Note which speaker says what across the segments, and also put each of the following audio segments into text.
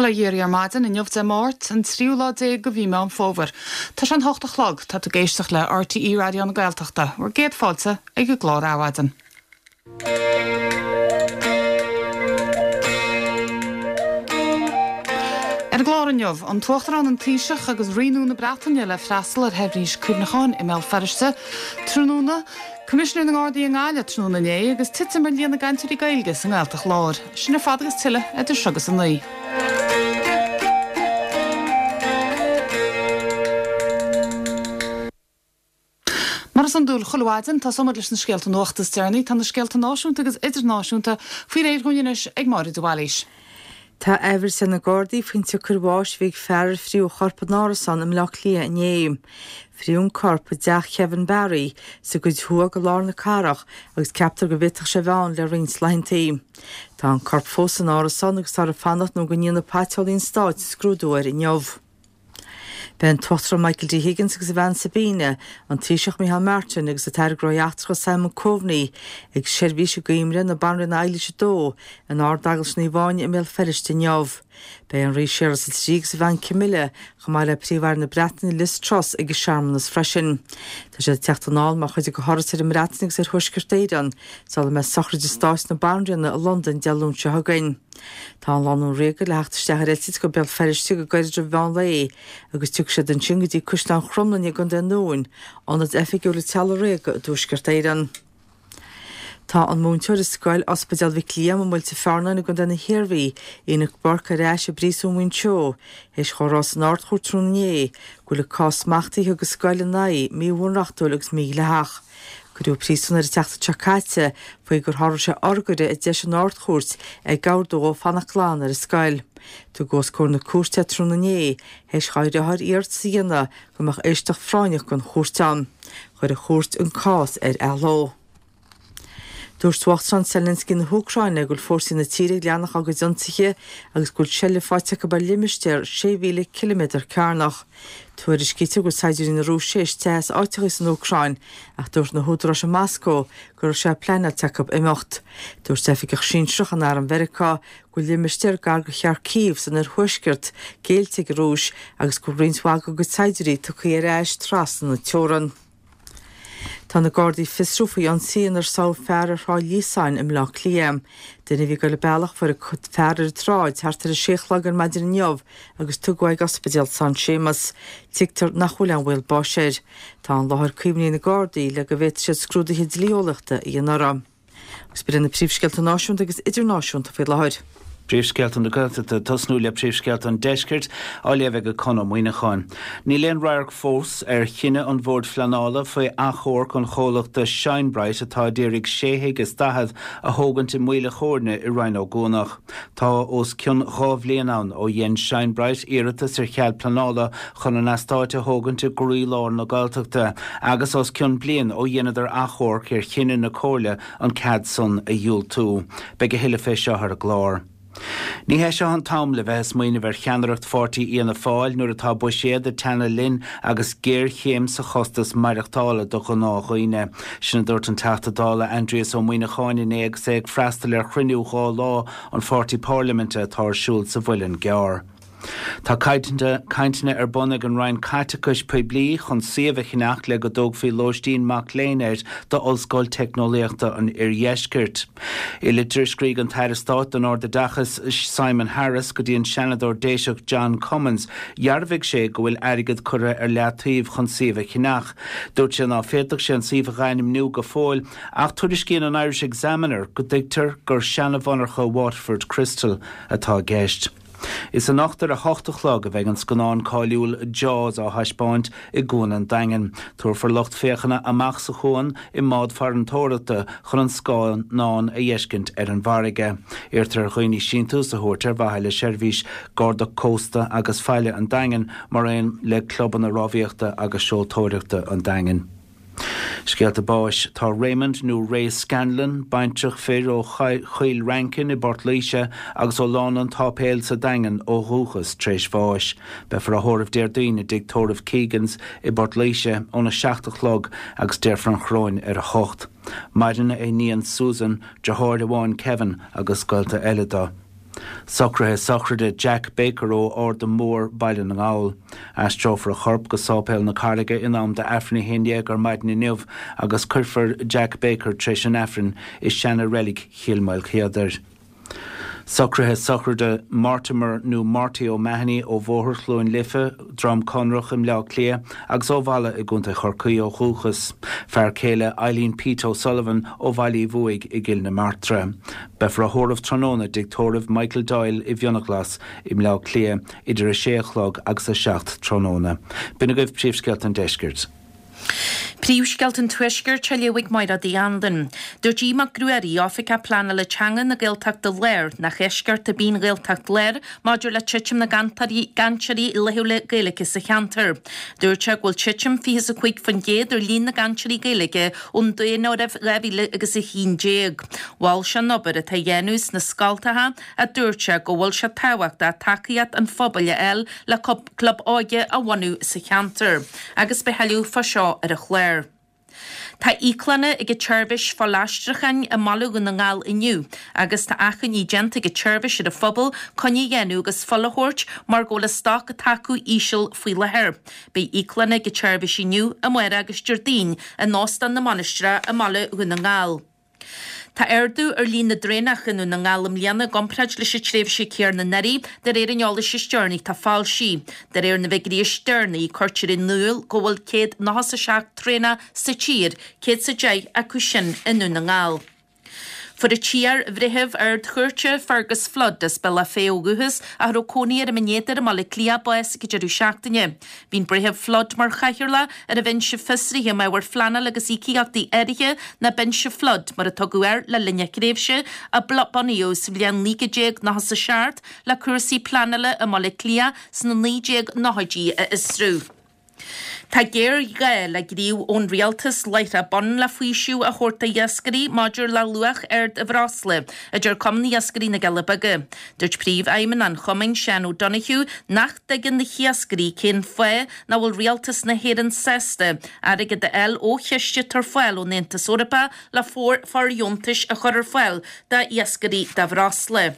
Speaker 1: Bail ó Dhia oraibh ar maidin, inniu Dé Máirt, an tríú lá déag de mhí Meán Fómhair. Tá sé an hocht a chlog, tá tú ag éisteacht le RTÉ Raidió na Gaeltachta. Bhur gcéad fáilte ag an gclár Adhmhaidin. Ar an gclár inniu, an tUachtarán, an Taoiseach agus Rí nua na Breataine le freastal ar sheirbhís cuimhneacháin i mBéal Feirste tráthnóna, Coimisinéir na nGardaí i nGaillimh tráthnóna inné agus titim ar líon na gcainteoirí Gaeilge sa nGaeltacht Láir. Sin ar fad agus tuilleadh idir seo agus 9. Mar is iondúil chuile mhaidin, tosóimid leis na scéalta nuachta is deireanaí. Tá na scéalta náisiúnta agus idirnáisiúnta faoi réir dhúinn anois ag Máire de Bhailís.
Speaker 2: Tá aithbhris ar na Gardaí faoin tsiocair bháis a bhí ag fear ar fríodh a chorp in árasán i mBleá Cliath inné. Fríodh an corp i dteach Kevin Barry sa gcuid thuaidh de lár na cathrach agus ceaptar go bhféadfadh sé a bheith ann le roinnt laethantaí. Tá an corp fós san árasán agus táthar ag fanacht nó go ndéanfaidh Paiteolaí an Stáit scrúdú air inniu. Beidh an tUachtarán Michael D. Higgins agus a bhean Sabina, an Taoiseach Micheál Martin agus an tAire Gnóthaí Eachtracha Simon Coveney ag seirbhís i gcuimhne na Banríona Eilís 2 in Ard-Eaglais Naomh Áine i mBéal Feirste inniu. Beidh an Rí Séarlas 3 agus a bhean Camilla, chomh maith le Príomh-Aire na Breataine Liz Truss ag an searmanas freisin. Tá siad ag teacht anall mar chuid de thuras ar an mBreatain agus ar Thuaisceart Éireann sula mbeidh sochraid stáit na Banríona i Londain Dé Luain seo chugainn. Tá an lánúin ríoga le theacht isteach ar eitilt go Béal Feirste go gairid roimh mheán lae agus tiocfaidh siad ansin go dtí Caisleán Chromghlinne i gContae an Dúin, ionad oifigiúil an teaghlaigh ríoga i dTuaisceart Éireann. Tá an múinteoir i scoil Ospidéal Mhic Liam i Muilte Fearnáin i gContae na hIarmhí, Enoch Burke ar ais i bpríosún Mhuinseo théis dhó a rá san Ard-Chúirt tráthnóna inné go bhfuil an cás smachtaithe a thug an scoil ina aghaidh míbhunreachtúil agus mídhleathach. Cuireadh i bpríosún é an tseachtain seo caite faoi gur sháraigh sé urghaire a d'eisigh an Ard-Chúirt ag ordú dhó fanacht glan ar an scoil. Tugadh os comhair na cúirte é tráthnóna inné théis dhá dheartháir iarratas a dhéanamh go mbeadh éisteacht phráinneach den chúirt ann. Chuir an chúirt an cás ar athló. Dúirt Uachtarán Zelensky na hÚcráine go bhfuil fórsaí na tíre ag leanacht dá gcuid ionsaithe agus go bhfuil seilbh faighte acu ar limistéar 6,000 ciliméadar cearnach. Tuairiscítear go bhfuil saighdiúirí na Rúise théis teitheadh as áiteacha san Úcráin ach dúirt na húdaráis i Moscó go raibh sé pleanáilte acu imeacht. Dúirt oifigeach sinsearach in arm Mheiriceá go bhfuil limistéar gar do Kharkiv san oirthuaisceart géillte ag an Rúis agus go bhfuil roinnt mhaith dá gcuid saighdiúirí tugtha ar ais trasna na teorann. Tá na Gardaí ag fiosrú faoi ionsaí inar sádh fear ar Shráid Líosáin i mBleá Cliath. Duine a bhí ag dul an bealach fuair an fear ar an tsráid thart ar a sé a chlog ar maidin inniu agus tugadh é ag Ospidéal San Séamas. Tuigtear nach bhfuil aon bhaol báis air. Tá an láthair caomhnaithe ag na Gardaí le go bhféadfaidh siad scrúduithe dlí-eolaíochta a dhéanamh orthu. Agus b'in iad na príomhscéalta náisiúnta agus idirnáisiúnta faoi láthair.
Speaker 3: Príomhscéalta na Gaeltachta, tosnú le príomhscéalta an Deiscirt, á léamh ag Conn Ó Muíneacháin. Níl aon radharc fós ar chinneadh an Bhoird Phleanála faoi achomharc an chomhlachta Shine-Brite atá a d'iarraidh sé thigh is 40 a thógaint i Maoil a' Chóirne i Rinn Ó gCuanach. Tá os cionn 2 bhliain ann ó dhein Shine-Brite iarratas ar chead pleanála chun an eastáit a thógaint i gcroí-lár na Gaeltachta agus os cionn bliain ó dheineadar achomharc ar chinneadh na Comhairle an cead san a dhiúltú. Beidh a thuilleadh fé seo ar an gclár. Ní hé seo an t-am le bheith ag smaoineamh ar cheannaireacht pháirtí Fhianna Fáil nuair atá buiséad ag teannadh linn agus géarchéim sa chostas maireachtála do ghnáthdhaoine. Sin a dúirt an Teachta Dála Aindrias Ó Muíneacháin inné agus é ag freastal ar chruinniú 2 lá an pháirtí parlaiminte atá ar siúl sa Mhuileann gCearr. Tá cainteanna ar bun ag an Roinn Caiteachais Poiblí chun suíomh a cheannach le go dtógfaí lóistín mac léinn air d'Ollscoil Teicneolaíochta an Oirdheiscirt. I litir a scrígh an tAire Stáit don Ardoideachas Simon Harris go dtí an Seanadóir Déiseach John Cummins, dhearbhaigh sé go bhfuil airgead curtha ar leataobh chun suíomh a cheannach. Dúirt sé ná féadfadh sé an suíomh a ainmniú go fóill ach tuairiscíonn an Irish Examiner go dtuigtear gur seana-mhonarcha Waterford Crystal atá i gceist. Is anocht ar a hocht a chlog a bheidh an scannán cáiliúil Jaws á thaispeáint i gCuan an Daingin. Tabharfar lucht féachana amach sa chuan i mbád farantóireachta chun an scannán a fheiscint ar an bhfarraige. Iarrtar ar dhaoine síntiús a thabhairt ar mhaithe le seirbhís Garda Cósta agus Faille an Daingin mar aon le clubanna rámhaíochta agus seoltóireachta an Daingin. Scéalta báis. Tá Raymond nó Ray Scanlon, baintreach fir ó Choill Rainkin i bPort Laoise agus ó Lána an tSáipéil sa Daingean ó dhúchas, tar éis bháis. Beifear á thórramh Déardaoin i dtigh tórraimh Keegans i bPort Laoise óna 7 a chlog agus déarfar an choróin ar a hocht. Maireann a iníon Susan, deartháir amháin Kevin agus gaolta eile dó. Socruithe sochraide Jack Baker ó Ard an Mór, Baile na nGall. Aistreofar a chorp go Sáipéal na Carraige in am d'Aifreann a 11 ar maidin inniu agus cuirfear Jack Baker tar éis an Aifrinn i seana-reilig Chill Maoilchéadair. Socruithe sochraide Mortimer nó Morty O'Mahony ó Bhóthar Chluain Life, Droim Conrach i mBleá Cliath agus ó Mhalla i gContae Chorcaí ó dhúchas. Fear céile Eileen Pete O'Sullivan ó Bhaile Uí Bhuaigh i gCill na Martra. Beifear á thórramh tráthnóna i dtigh tórraimh Michael Doyle i bhFionnghlas i mBleá Cliath idir 6 a chlog agus 7 tráthnóna. B'in agaibh príomhscéalta an deiscirt.
Speaker 4: Príomhscéalta an Tuaiscirt á léamh ag Máire Uí Anluain. Dúirt Aodh Mac Ruairí, Oifigeach Pleanála Teanga na Gaeltachta Láir, nach eisceacht ar bith an Ghaeltacht Láir maidir le titim na gcainteoirí laethúla Gaeilge sa cheantar. Dúirt sé go bhfuil titim 25% ar líon na gcainteoirí Gaeilge ón Daonáireamh 2011. Mhol sé an obair atá á dhéanamh sna scoltacha a dúirt sé go bhfuil sé tábhachtach tacaíocht an phobail a fháil le club óige a bhunú sa cheantar agus beidh tuilleadh fá seo ar an chlár. Tá íoclanna ag an tseirbhís fuilaistriúcháin i mBaile Dhún na nGall inniu agus tá achainí déanta ag an tseirbhís ar an phobal coinne a dhéanamh agus fuil a thabhairt mar go bhfuil an stoc atá acu íseal faoi láthair. Beidh íoclanna ag an tseirbhís inniu, amárach agus Déardaoin in Óstán na Mainistreach i mBaile Dhún na nGall. Tá ardú ar líon na dtraenach i nDún na nGall i mbliana i gcomparáid leis an tréimhse céanna anuraidh, de réir an eolais is deireanaí atá foilsithe. De réir na bhfigiúirí is deireanaí, cuirtear in iúl go bhfuil 197 traenach sa tír, 110 acu sin i nDún na nGall. Fuair an t-iar-bhreitheamh Ard-Chúirte, Fergus Flood, as Bealach Féich ó dhúchas, ach a raibh cónaí air i mBinn Éadair i mBaile Átha Cliath, bás ag an deireadh seachtaine. Bhí an Breitheamh Flood mar chathaoirleach ar an Bhinse Fiosraithe um Ábhair Phleanála agus Íocaíochtaí Áirithe, nó Binse Flood mar a tugadh air le linn a thréimhse, a bunaíodh sa bhliain 1997 le cúrsaí pleanála i mBaile Átha Cliath sna 1990idí a fhiosrú. Tá géarghá le gníomh ón rialtas láithreach bonn le faoiseamh a thabhairt d'iascairí maidir le luach ard an bhreosla, a deir Cumann Iascairí na gCealla Beaga. Dúirt Príomhfheidhmeannach an chumainn, Seán O'Donoghue, nach dtuigeann na hiascairí cén fáth nach bhfuil rialtas na hÉireann sásta airgead a fháil ó chiste atá ar fáil ón Aontas Eorpach le fóirdheontais a chur ar fáil d'iascairí do bhreosla.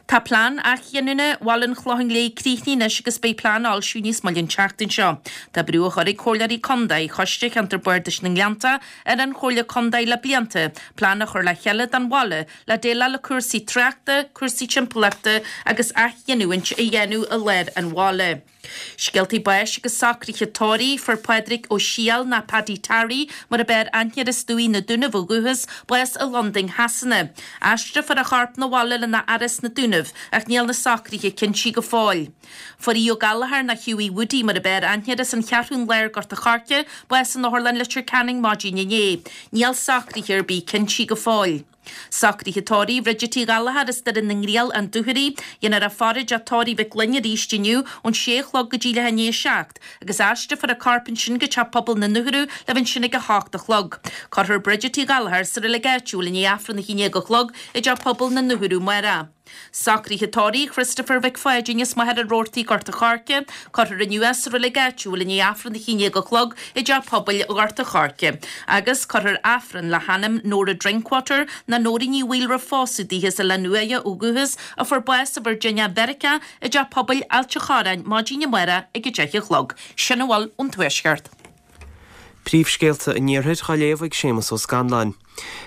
Speaker 4: Tá plean athghiniúna Bhaile an Chlocháin Léith críochnaithe anois agus beidh plean á fhoilsiú níos moille an tseachtain seo. Tá brú á chur ag Comhairleoirí Contae Choiste Cheantar Bardais na nGleannta ar an Chomhairle Contae le blianta plean a chur le chéile don bhaile le déileáil le cúrsaí tráchta, cúrsaí timpeallachta agus athghiniúint a dhéanamh i lár an bhaile. Scéaltaí báis agus socruithe tórraimh, Fuair Pádraig Ó Siadhail nó Paddy Tarry mar ab fhearr aithne air as Dumhaigh na Dúnaibh ó dhúchas, bás i Londain Shasana. Aistreofar a chorp 'na bhaile lena fhaire sna Dúnaibh ach níl na socruithe cinntí go fóill. Fuair Aodh Ó Gallchóir nó Hughie Woody mar ab fhearr aithne air as an Cheathrún Láir Gort a' Choirce, bás in Otharlann Leitir Ceanainn maidin inné. Níl socruithe ar bith cinntí go fóill. Socruithe tórraimh Bridget Uí Ghallchóir as Doire na nGriall, An Dúchoraidh. Dhéanfar a faire i dteach tórraimh Mhic Fhloinn arís inniu ón sé a chlog go dtí leath i ndiaidh a 7 agus aistreofar a corp ansin go Teach Pobail na nDúchoradh le bheith ansin ag a hocht a chlog. Cuirfear Bridget Uí Ghallchóir sa reilig áitiúil i ndiaidh Aifreann a haon déag a chlog i dTeach Pobail na nDúchoradh amárach. Socruithe tórraimh Christopher Mhic Pháidín as Machaire Rabhartaigh, Gort a' Choirce. Cuirfear inniu é sa reilig áitiúil i ndiaidh Aifreann a haon déag a chlog i dTeach Pobail Ghort a' Choirce. Agus cuirfear Aifreann le hanam Nóra Drinkwater, nó Nóirín Ní Bhaoill roimh phósadh di as Oileán Uaighe ó dhúchas, a fuair bás i Virginia Mheiriceá i dTeach Pobail Ailt a' Chorráin maidin amárach ag a deich a chlog. Sin a bhfuil ón Tuaisceart.
Speaker 5: Príomhscéalta an Iarthair á léamh ag Séamus Ó Scanláin.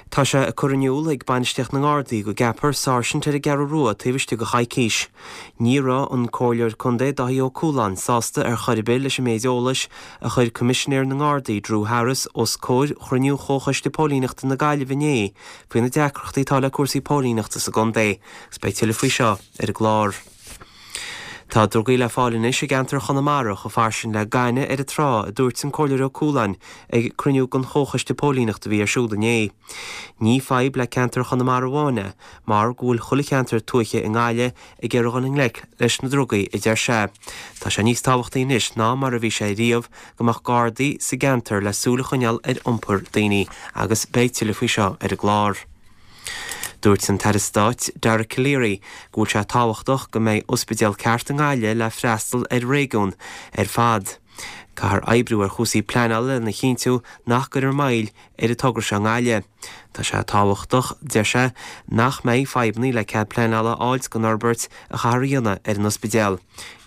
Speaker 5: Tá sé ag cur in iúl ag bainistíocht na nGardaí go gceapfar sáirsint ar an gCeathrú Rua taobh istigh de choicís. Ní raibh an Comhairleoir Contae Dáithí Ó Cualáin sásta ar chor ar bith leis an méid eolais a chuir Coimisinéir na nGardaí Drew Harris os comhair chruinniú Chomhchoiste Póilíneachta na Gaillimhe inné faoi na deacrachtaí atá le cúrsaí póilíneachta sa gcontae. Agus beidh tuilleadh faoi seo ar an gclár. Tá drugaí le fáil anois i gceantar Chonamara chomh fairsing le gaineamh ar an trá, a dúirt an Comhairleoir Ó Cualáin ag cruinniú den Chomhchoiste Póilíneachta a bhí ar siúl inné. Ní fadhb le ceantar Chonamara amháin é, mar go bhfuil chuile cheantar tuaithe i nGaillimh ag iarraidh dhul i ngleic leis na drugaí, a deir sé. Tá sé níos tábhachtaí anois ná mar a bhí sé riamh go mbeadh Gardaí sa gceantar le súil a choinneáil ar iompar daoine agus beidh tuilleadh faoi seo ar an gclár. Dúirt an tAire Stáit Dara Calleary go bhfuil sé tábhachtach go mbeidh ospidéal ceart i nGaillimh le freastal ar réigiún ar fad. Caithfear oibriú ar chúrsaí pleanála lena chinntiú nach gcuirfear moill ar an togra seo i nGaillimh. Tá sé tábhachtach, deir sé, nach mbeidh fadhbanna le cead pleanála a fháilt don fhorbairt a chaithfear a dhéanamh ar an ospidéal.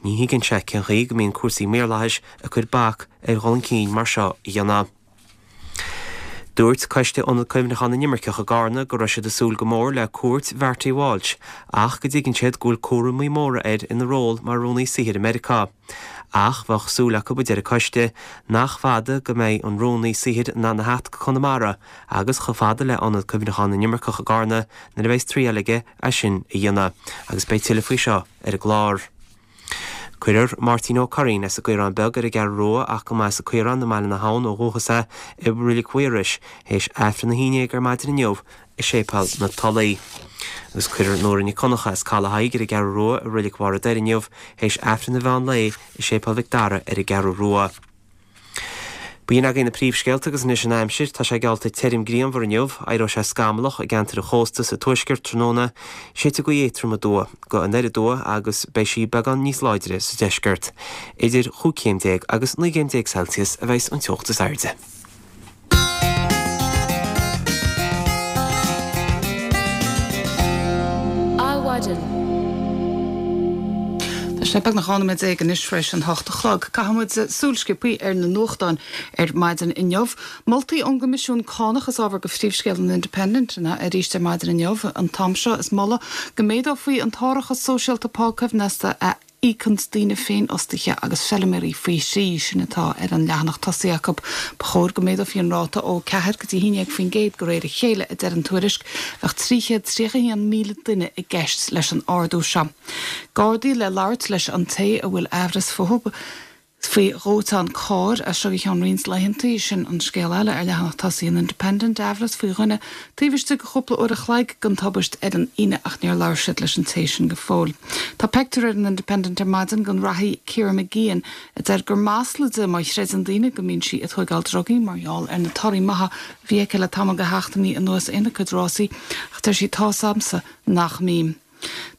Speaker 5: Ní thuigeann sé cén chaoi go mbíonn cúrsaí maorlathais ag cur bac ar dhul chun cinn mar seo a dhéanamh. Dúirt Coiste Ionad Cuimhneacháin na nImirceach i gCarna go raibh siad ag súil go mór le cuairt Mharty Walsh ach go dtuigeann siad go bhfuil cúramaí móra air ina ról mar Rúnaí Saothair i Meiriceá. Ach bheadh súil acu, a deir an coiste, nach fada go mbeidh an Rúnaí Saothair in ann a theacht go Conamara agus chomh fada le Ionad Cuimhneacháin na nImirceach i gCarna nuair a bheas triall aige é sin a dhéanamh. Agus beidh tuilleadh faoi seo ar an gclár. Cuirfear Máirtín Ó Curraoin as an gCaorán Beag ar an gCeathrú Rua ach go mba as an Caorán i mBaile na hAbhann ó dhúchas é i Reilig Mhaorais théis Aifreann 11 ar maidin inniu i Séipéal na Tulaí. Agus cuirfear Nóra Nic Dhonncha as Caladh Thaidhg ar an gCeathrú Rua i Reilig Bharr an Doire inniu théis Aifreann an mheán lae i Séipéal Mhic Dara ar an gCeathrú Rua. B'in agaibh na príomhscéalta agus anois an aimsir. Tá sé geallta tirim grianmhar inniu. Éireoidh sé scamallach i gceantair an chósta sa tuaisceart tráthnóna. Séidfidh gaoth éadtrom aduaidh go anoir aduaidh agus beidh sí beagán níos láidre sa deisceart. Idir chúig chéim déag agus 19 gcéim Celsius a bheas an teocht is airde.
Speaker 1: Adhmhaidin. Tá sé beagnach 12 nóiméad anois tar éis an hocht a chlog. Caithfidh muid súil sciobthaí ar na nuachtáin ar maidin inniu. Moltaí ón gCoimisiún Cánach is ábhar go phríomhscéal an Independent arís ar maidin inniu. An t-am seo is moladh go méadófaí an t-árachas sóisialta pá coibhneasta a íocanns daoine féinfhostaithe agus feilméaraí faoi thrí, sin atá ar an leathanach tosaigh acu. Ba chóir go méadófaí an ráta ó 4 go dtí 11% de réir a chéile, a deir an tuairisc. Bheadh 331,000 duine i gceist leis an ardú seo. Gardaí le labhairt leis an té a bhfuil aimhreas fúthu faoi dhóiteán cairr as seo go ceann roinnt laethanta. Sin an scéal eile ar leathanach tosaigh an Independent, aimhreas faoi dhuine taobh istigh de chúpla uair a chloig den tubaist ar an Aoine ach níor labhair siad leis an té sin go fóill. Tá peictiúr ar an Independent ar maidin den reathaí Ciara Mageean a deir gur masla di má chreideann daoine go mbíonn sí ag tóigeáil drugaí mar gheall ar na torthaí maithe a bhí aici le tamall de sheachtainí anuas ina cuid rásaí ach deir sí tá's a'msa nach mbím.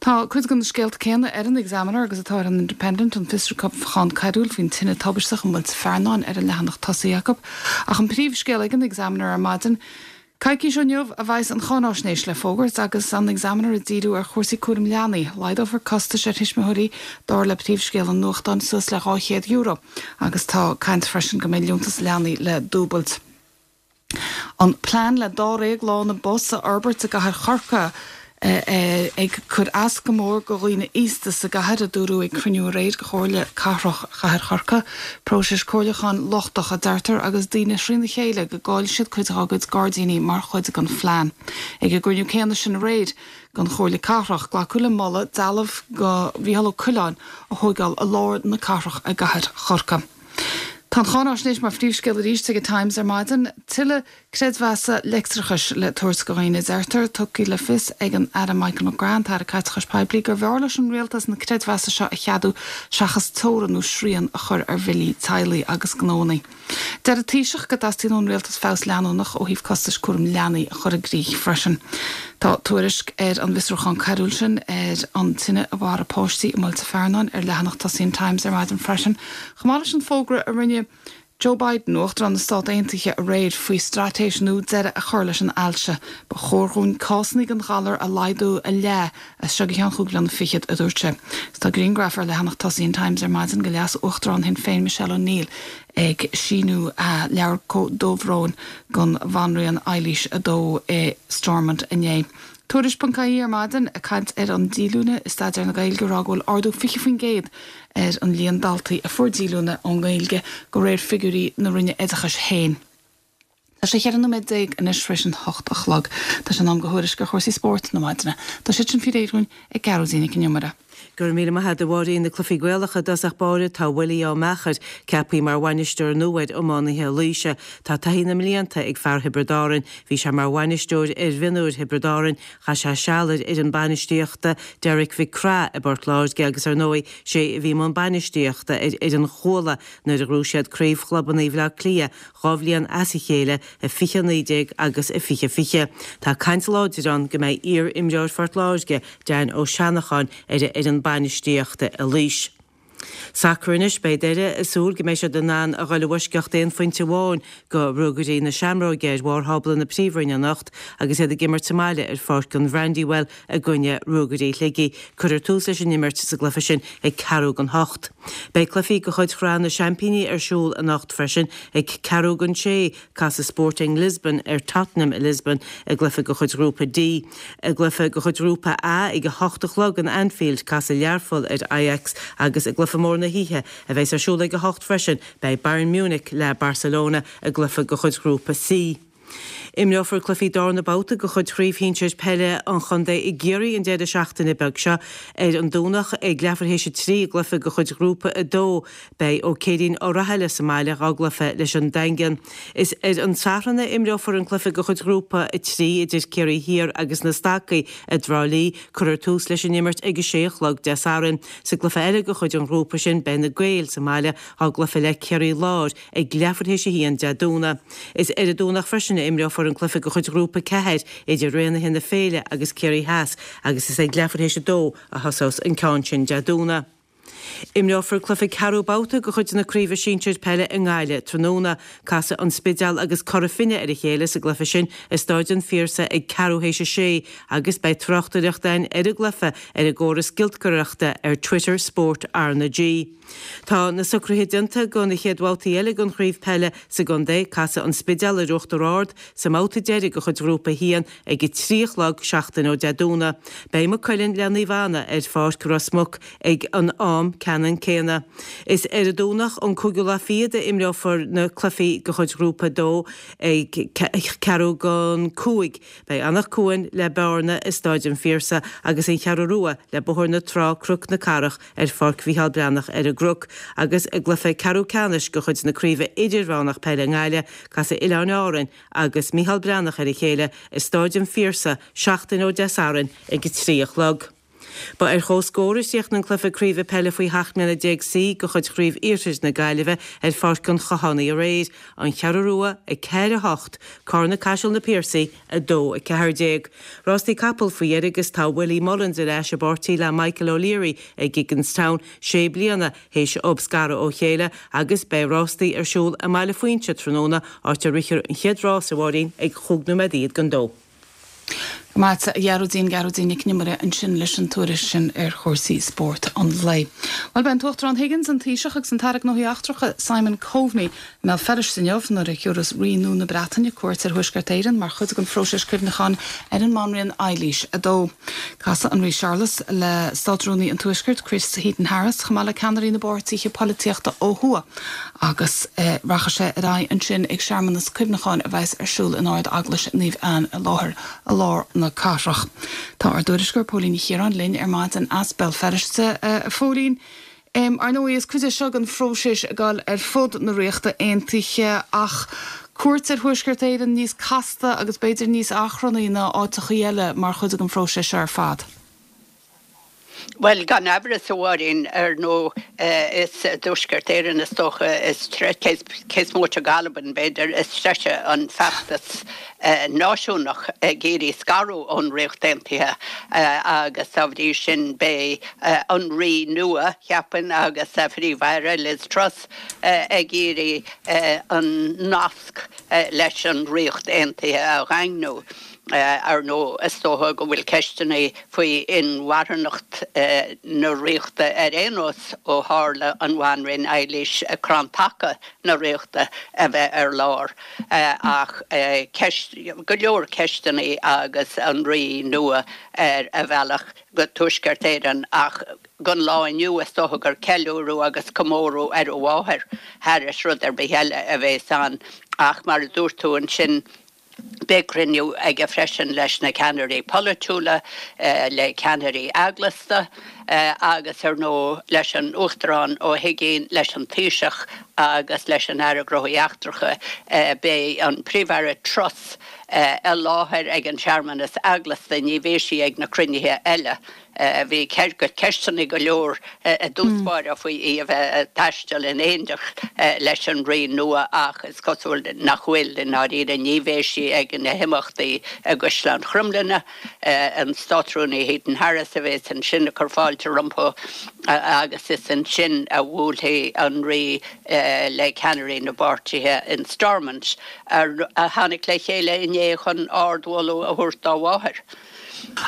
Speaker 1: Tá cuid de na scéalta céanna ar an Examiner agus atá ar an Independent, an fiosrúchán coiriúil faoin tine tubaisteach i Muilte Fearnáin ar an leathanach tosaigh acu. Ach an príomhscéal ag an Examiner ar maidin, coicís ó inniu a bheas an cháináisnéis le fógairt agus an Examiner ag díriú ar chúrsaí cúraim leanaí. Laghdófar costais ar thuismitheoirí, dar le príomhscéal an nuachtáin, suas le €200 agus tá caint freisin go mbeidh liúntas leanaí le dúbailt. An plean le dáréag lána bus a fhorbairt i gcathair Chorcaí ag cur as go mór go dhaoine aosta sa gcathair, a dúradh ag cruinniú aréir de Chomhairle Cathrach Chathair Chorcaí. Próiseas comhairliúcháin lochtach, a deirtear, agus daoine trína chéile go gcaillfidh siad cuid dá gcuid gairdíní mar chuid den phlean. Ag an gcruinniú céanna sin aréir den Chomhairle Cathrach, glacadh le moladh dealbh go Mhícheál Ó Coileáin a thóigeáil i lár na cathrach i gcathair Chorcaí. Tá an cháináisnéis mar phríomhscéal arís ag an Times ar maidin. Tuilleadh creidmheasa leictreachais le tabhairt go dhaoine, a deirtear. Tugtha le fios ag an Aire Michael McGrath, an tAire Caiteachais Poiblí, gurbh fhearr leis an Rialtas na creidmheasa seo a cheadú seachas teorainn nó srian a chur ar bhillí teaghlaigh agus gnóanna. Deir an Taoiseach go dteastaíonn ón Rialtas feabhas leanúnach ó thaobh costais cúraim leanaí a chur i gcrích freisin. Tá tuairisc ar an bhfiosrúchán coiriúil sin ar an tine a mharaigh páistí i Muilte Fearnáin ar leathanach tosaigh an Times ar maidin freisin, chomh maith leis an bhfógra a rinne Joe Biden, Uachtarán na Stát Aontaithe, aréir faoi straitéis nua deireadh a chur leis an ailse. Ba chóir dhúinn cásanna den ghalar a laghdú a leath as seo go ceann chúig bliana fichead, a dúirt sé. Agus tá grianghraf ar leathanach tosaigh an Times ar maidin de Leas-Uachtarán Shinn Féin Michelle O'Neill ag síniú leabhar comhbhróin don Bhanríon Eilís a Dó i Stormont inné. Tuairisc.ie ar maidin ag caint ar an díolúine i staidéar na Gaeilge ag rá go bhfuil ardú 20% ar an líon daltaí a fuair díolúine ón nGaeilge de réir figiúirí na Roinne Oideachais féin. Tá sé 14 nóiméad anois tar éis an hocht a chlog. Tá sé in am go thuairisc ar chúrsaí spóirt na maidine. Tá siad sin faoi réir dhúinn ag Gearóidín Nic an Iomaire.
Speaker 6: Go raibh míle maith agat a Mháirín. Na cluichí Gaelacha i dtosach báire, tá Willie Ó Meachair ceaptha mar bhainisteoir nua ar iománaithe Laoise. Tá taithí na mblianta ag fear Thiobraid Árann. Bhí sé mar bhainisteoir ar mhionúir Thiobraid Árann, chaith sé seal ar fhoireann bainistíochta Derek Mhic Craith i bPort Láirge agus ar ndóigh sé a bhí i mbun bainistíochta ar fhoireann Chuala nuair a ghnóthaigh siad Craobh Chlubanna Bhaile Átha Cliath 2 bhliain as a chéile i 2019 agus i 2020. Tá caint láidir ann go mbeidh iar-imreoir Phort Láirge, Dan Ó Seanacháin, ar an bhfoireann bainistíochta i Laois. Sacar anois, beidh Doire ag súil go mbeidh siad in ann a dhul i bhfoisceacht aon phointe amháin go Ruagairí na Seamróige ar bharr thábla na Príomhroinne anocht agus iad ag imirt sa mbaile ar pháirc an Bhrandywell i gcoinne Ruagairí Shligigh. Cuirfear tús leis an imirt sa gcluiche sin ag ceathrú don hocht. Beidh cluichí de chuid Shraith na Seaimpíní ar siúl anocht freisin ag ceathrú don sé. Casfaidh Sporting Lisbon ar Tottenham i Lisbon i gcluiche de chuid Ghrúpa D. I gcluiche de chuid Ghrúpa A ag a hocht a chlog in Anfield, casfaidh Learpholl ar Ajax agus i gcluiche mór na hoíche, a bheas ar siúl ag a hocht freisin, beidh Bayern Munich le Barcelona i gcluiche de chuid Ghrúpa C. Imreofar cluichí darna babhta de chuid Chraobh Shinsir Peile an Chontae i gCiarraí an deireadh seachtaine beag seo. Ar an Domhnach ag leathuair théis a trí i gcluiche de chuid Ghrúpa 2, Beidh Ó Céirín Ó Rathaille sa mbaile dhá gcluiche leis an Daingean. Is ar an Satharn a imreofar an cluiche de chuid Ghrúpa 3 idir Ciarraí Thiar agus na Stacaigh i dTrá Lí. Cuirfear tús leis an imirt ag a sé a chlog Dé Sathairn. Sa gcluiche eile de chuid an ghrúpa sin beidh na Gaeil sa mbaile dhá gcluiche le Ciarraí Láir ag leathuair théis a haon Dé Domhnaigh. Is ar an Domhnach freisin a imreofar an cluiche de chuid Ghrúpa 4 idir Raonaithe na Féile agus Ciarraí Theas agus is ag leathuair théis a dó a thosós an ceann sin Dé Domhnaigh. Imreofar cluiche ceathrú babhta de chuid na Craoibhe Sinsir Peile i nGaillimh tráthnóna. Casfaidh An Spidéal agus Cora Finne ar a chéile sa gcluiche sin i Stáid an Phiarsaigh ag ceathrú théis a sé agus beidh tráchtaireacht againn ar an gcluiche ar an gcóras giolcaireachta ar Twitter Spórt RnaG. Tá na socruithe déanta do na chéad bhabhtaí eile den chraobh peile sa gcontae. Casfaidh An Spidéal ar Uachtar Ard sa mbabhta deiridh de chuid Ghrúpa 1 Ag a 3 a chlog seachtain ó Dé Domhnaigh, beidh Maigh Cuilinn le Naomh Anna ar Pháirc Ros Muc ag an am ceannann céanna. Is ar an Domhnach an cúigiú lá fichead a imreofar na cluichí de chuid Ghrúpa 2 ag ceathrú don 5. Beidh Anach Cuain le Bearna i Stáid an Phiarsaigh agus an Cheathrú Rua le Bóthar na Trá Cnoc na Cathrach ar Pháirc Mhícheál Breathnach ar an gCnoc agus i gcluiche ceathrú ceannais de chuid na Craoibhe Idirmheánach Peile i nGaillimh, casfaidh Oileáin Árainn agus Micheál Breathnach ar a chéile i Stáid an Phiarsaigh seachtain ó Dé Sathairn ag 3 a chlog. Ba ar chomhscór a chríochnaigh an cluiche craoibhe peile faoi sheacht mbliana déag C de chuid Chraobh Iarthair na Gaillimhe ar Pháirc an Chathánaigh aréir, An Cheathrú Rua 4, 8, Cárna Caiseal Na Piarsaigh 2, 14. Rástaí capall faoi dheireadh agus tá Willie Mullins ar ais i bpáirtí le Michael O'Leary ag Gigginstown sé bliana théis dóibh scaradh ó chéile agus beidh rástaí ar siúl i mBaile Phuinse tráthnóna, áit a rithfear an chéad rás, a Mháirín, ag chúig nóiméad don dó.
Speaker 1: Go maith agat, a Ghearóidín, Gearóidín Nic an Iomaire ansin leis an tuairisc sin ar chúrsaí spóirt an lae. Bhuel, beidh an tUachtarán Higgins, an Taoiseach agus an tAire Gnóthaí Eachtracha Simon Coveney i mBéal Feirste inniu nuair a thiúrfas Rí nua na Breataine cuairt ar Thuaisceart Éireann mar chuid den phróiseas cuimhneacháin ar an mBanríon Eilís 2. Casfaidh an Rí Séarlas le Státrúnaí an Tuaiscirt, Chris Heaton-Harris, chomh maith le ceannairí na bpáirtithe polaitíochta ó thuaidh agus rachaidh sé ar aghaidh ansin ag searmanas cuimhneacháin a bheas ar siúl in Ard-Eaglais Naomh Anne i láthair i lár na cathrach. Tá ár dtuairisceoir Póilín Ní Chiaráin linn ar maidin as Béal Feirste. A Phóilín. Ar ndóigh, is cuid é seo den phróiseas ag dul ar fud na Ríochta Aontaithe, ach cuairt ar Thuaisceart Éireann níos casta agus b'fhéidir níos achrannaí ná áiteachaí eile mar chuid den phróiseas seo ar fad.
Speaker 7: Bhuel, gan amhras, a Mháirín, ar ndóigh, is i dTuaisceart Éireann is dócha is treise, cé is móite d'Albain, b'fhéidir, is treise an feachtas náisiúnach ag iarraidh scaradh ón Ríocht Aontaithe agus dá bhrí sin beidh an Rí nua, cheapfainn, agus a Phríomh-Aire, Liz Truss, ag iarraidh an nasc leis an Ríocht Aontaithe a dhaingniú. Ar ndóigh, is dócha go bhfuil ceisteanna faoi inmharthanacht na Ríochta ar aon nós ó tharla an Bhanríon Eilís, crann taca na Ríochta, a bheith ar lár. Ach ceist, go leor ceisteanna agus an Rí nua ar a bhealach go Tuaisceart Éireann ach don lá inniu is dócha gur ceiliúradh agus comóradh ar a mháthair thairis rud ar bith eile a bhéas ann. Ach mar a dúirt tú ansin, Beidh cruinniú aige freisin leis na ceannairí polaitiúla, le ceannairí eaglasta agus ar ndóigh leis an Uachtarán Ó hUigínn, leis an Taoiseach agus leis an Aire Gnóthaí Eachtracha. Beidh an Príomh-Aire Truss i láthair ag an searmanas eaglasta, ní bheidh sí ag na cruinnithe eile. Bhí ceisteanna go leor i dtús báire faoi í a bheith ag taisteal in éineacht leis an Rí nua ach is cosúil nach bhfuil, i ndáiríre. Ní bheidh sí ag na himeachtaí i gCaisleán Chromghlinne. An Státrúnaí Heaton Harris a bheas ansin ag cur fáilte rompu agus is ansin a bhuailfidh an Rí le ceannairí na bpáirtithe in Stormont a tháinig le chéile inné chun ardmholadh a thabhairt dá mháthair.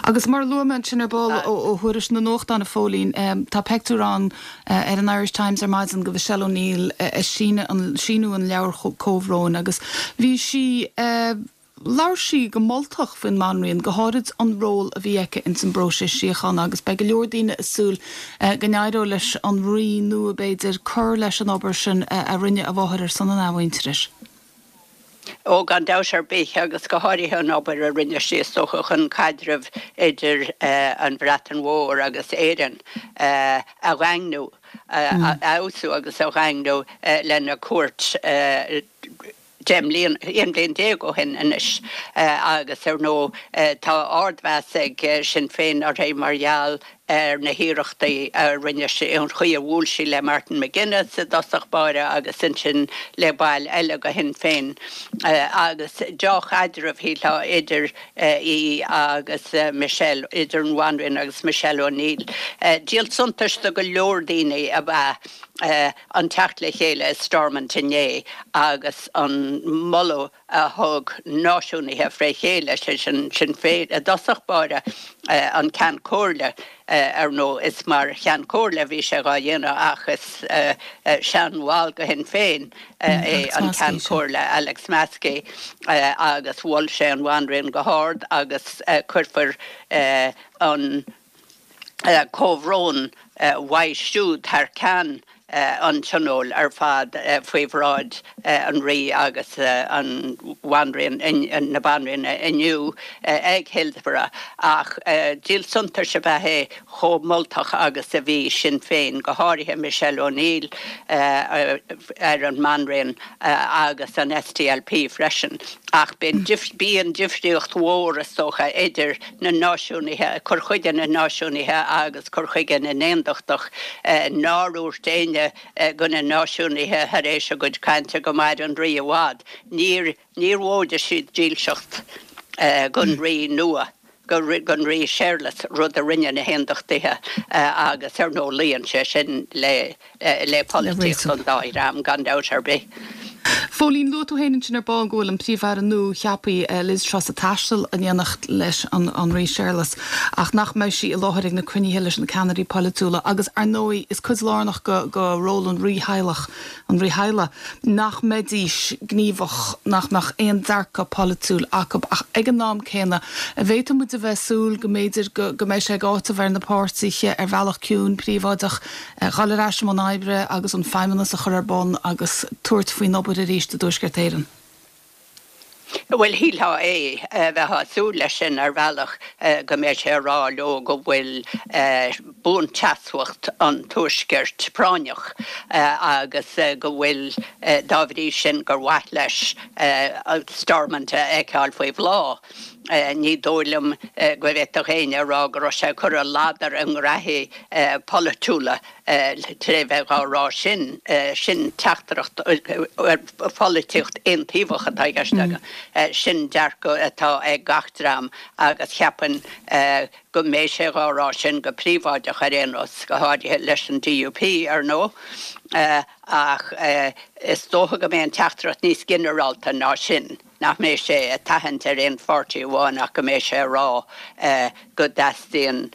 Speaker 1: Agus mar a luaigh mé ansin ar ball ó thuairisc na nuachtán, a Phóilín, tá peictiúr ann ar an Irish Times ar maidin de Mhichelle O'Neill ag síniú an leabhair comhbhróin agus bhí sí, labhair sí go moltach faoin mBanríon, go háirid an ról a bhí aici ins an bpróiseas síochána agus beidh go leor daoine ag súil go n-éireoidh leis an Rí nua, b'fhéidir, cur leis an obair sin a rinne a mháthair ar son an athmhuintearais.
Speaker 7: Ó, gan dabht ar bith, agus go háirithe an obair a rinne sí, is dócha, chun caidreamh idir an Bhreatain Mhór agus Éirinn a dhaingniú, a fheabhsú agus a dhaingniú lena cuairt 10 mbliana, 11 bliain ó shin anois. Agus, ar ndóigh, tá ardmheas ag Sinn Féin uirthi mar gheall ar na hiarrachtaí a rinne sí, an chaoi a bhuail sí le Martin McGuinness i dtosach báire agus ansin le baill eile de Shinn Féin agus deá-chaidreamh, shílfeá, idir í agus Michelle, idir an Bhanríon agus Michelle O'Neill. Díol suntais do go leor daoine ab ea an teacht le chéile i Stormont inné agus an moladh a thug náisiúnaithe fré chéile, sé sin Sinn Féin i dtosach báire, an Ceann Comhairle, ar ndóigh is mar Cheann Comhairle a bhí sé dhá dhéanamh ach is seanbhall de Shinn Féin é an Ceann Comhairle, Alex Maskey, agus mhol sé an Bhanríon go hard agus cuirfear an comhbhrón uaidh siúd thar ceann an Tionóil ar fad faoi bhráid an Rí agus an Bhanríon, na Banríona inniu ag Hillsborough. Ach díol suntais ab ea é chomh moltach agus a bhí Sinn Féin, go háirithe Michelle O'Neill, ar an mBanríon agus an SDLP freisin. Ach bíonn difríocht mhór, is dócha, idir na náisiúnaithe, cur chuige na náisiúnaithe agus cur chuige na n-aontachtach. Nár dhúirt éinne de na náisiúnaithe tar éis a gcuid cainte go maire an Rí i bhfad. Níor, níor mhóide siad dílseacht don Rí nua, don Rí Séarlas, rud a rinne na haontachtaithe agus ar ndóigh luíonn sé sin le. le polaitíocht an dá dhream, gan dabht ar bith.
Speaker 1: Phóilín, luaigh tú féin ansin ar ball go bhfuil an Príomh-Aire nua-cheaptha, Liz Truss, ag taisteal in éineacht leis an Rí Séarlas ach nach mbeidh sí i láthair ag na cruinnithe leis na ceannairí polaitiúla agus, ar ndóigh, is cuid lárnach de ról an rítheaghlach, an rítheaghlaigh, nach mbeidís gníomhach, nach mbeadh aon dearcadh polaitiúil acu. Ach ag an am céanna, an bhféadfadh muid a bheith ag súil go mb'fhéidir go mbeidh sé ag áiteamh ar na páirtithe ar bhealach ciúin príobháideach dhul ar ais i mbun oibre agus an Feidhmeannas a chur ar bun agus tabhairt faoin obair arís i dTuaisceart Éireann.
Speaker 7: Bhuel, shílfeá é, bheifeá ag súil leis sin ar bhealach, go mbeidh sé ag rá leo go bhfuil buanseasmhacht an Tuaiscirt práinneach agus go bhfuil, dá bhrí sin, gur mhaith leis Stormont a fheiceáil faoi bhláth. Ní dóigh liom go bhféadfadh éinne a rá go raibh sé ag cur a ladar i ngraithí polaitiúla tré bheith dhá rá sin. Sin teachtaireacht pholaitíocht aontaobhach atá i gceist agam. Sin dearcadh atá ag gach dream agus cheapfainn go mbeidh sé dhá rá sin go príobháideach ar aon nós, go háirithe leis an DUP, ar ndóigh. Ach is dócha go mbeidh an teachtaireacht níos ginearálta ná sin. nach mbeidh sé ag tathant ar aon pháirtí amháin ach go mbeidh sé ag rá go dteastaíonn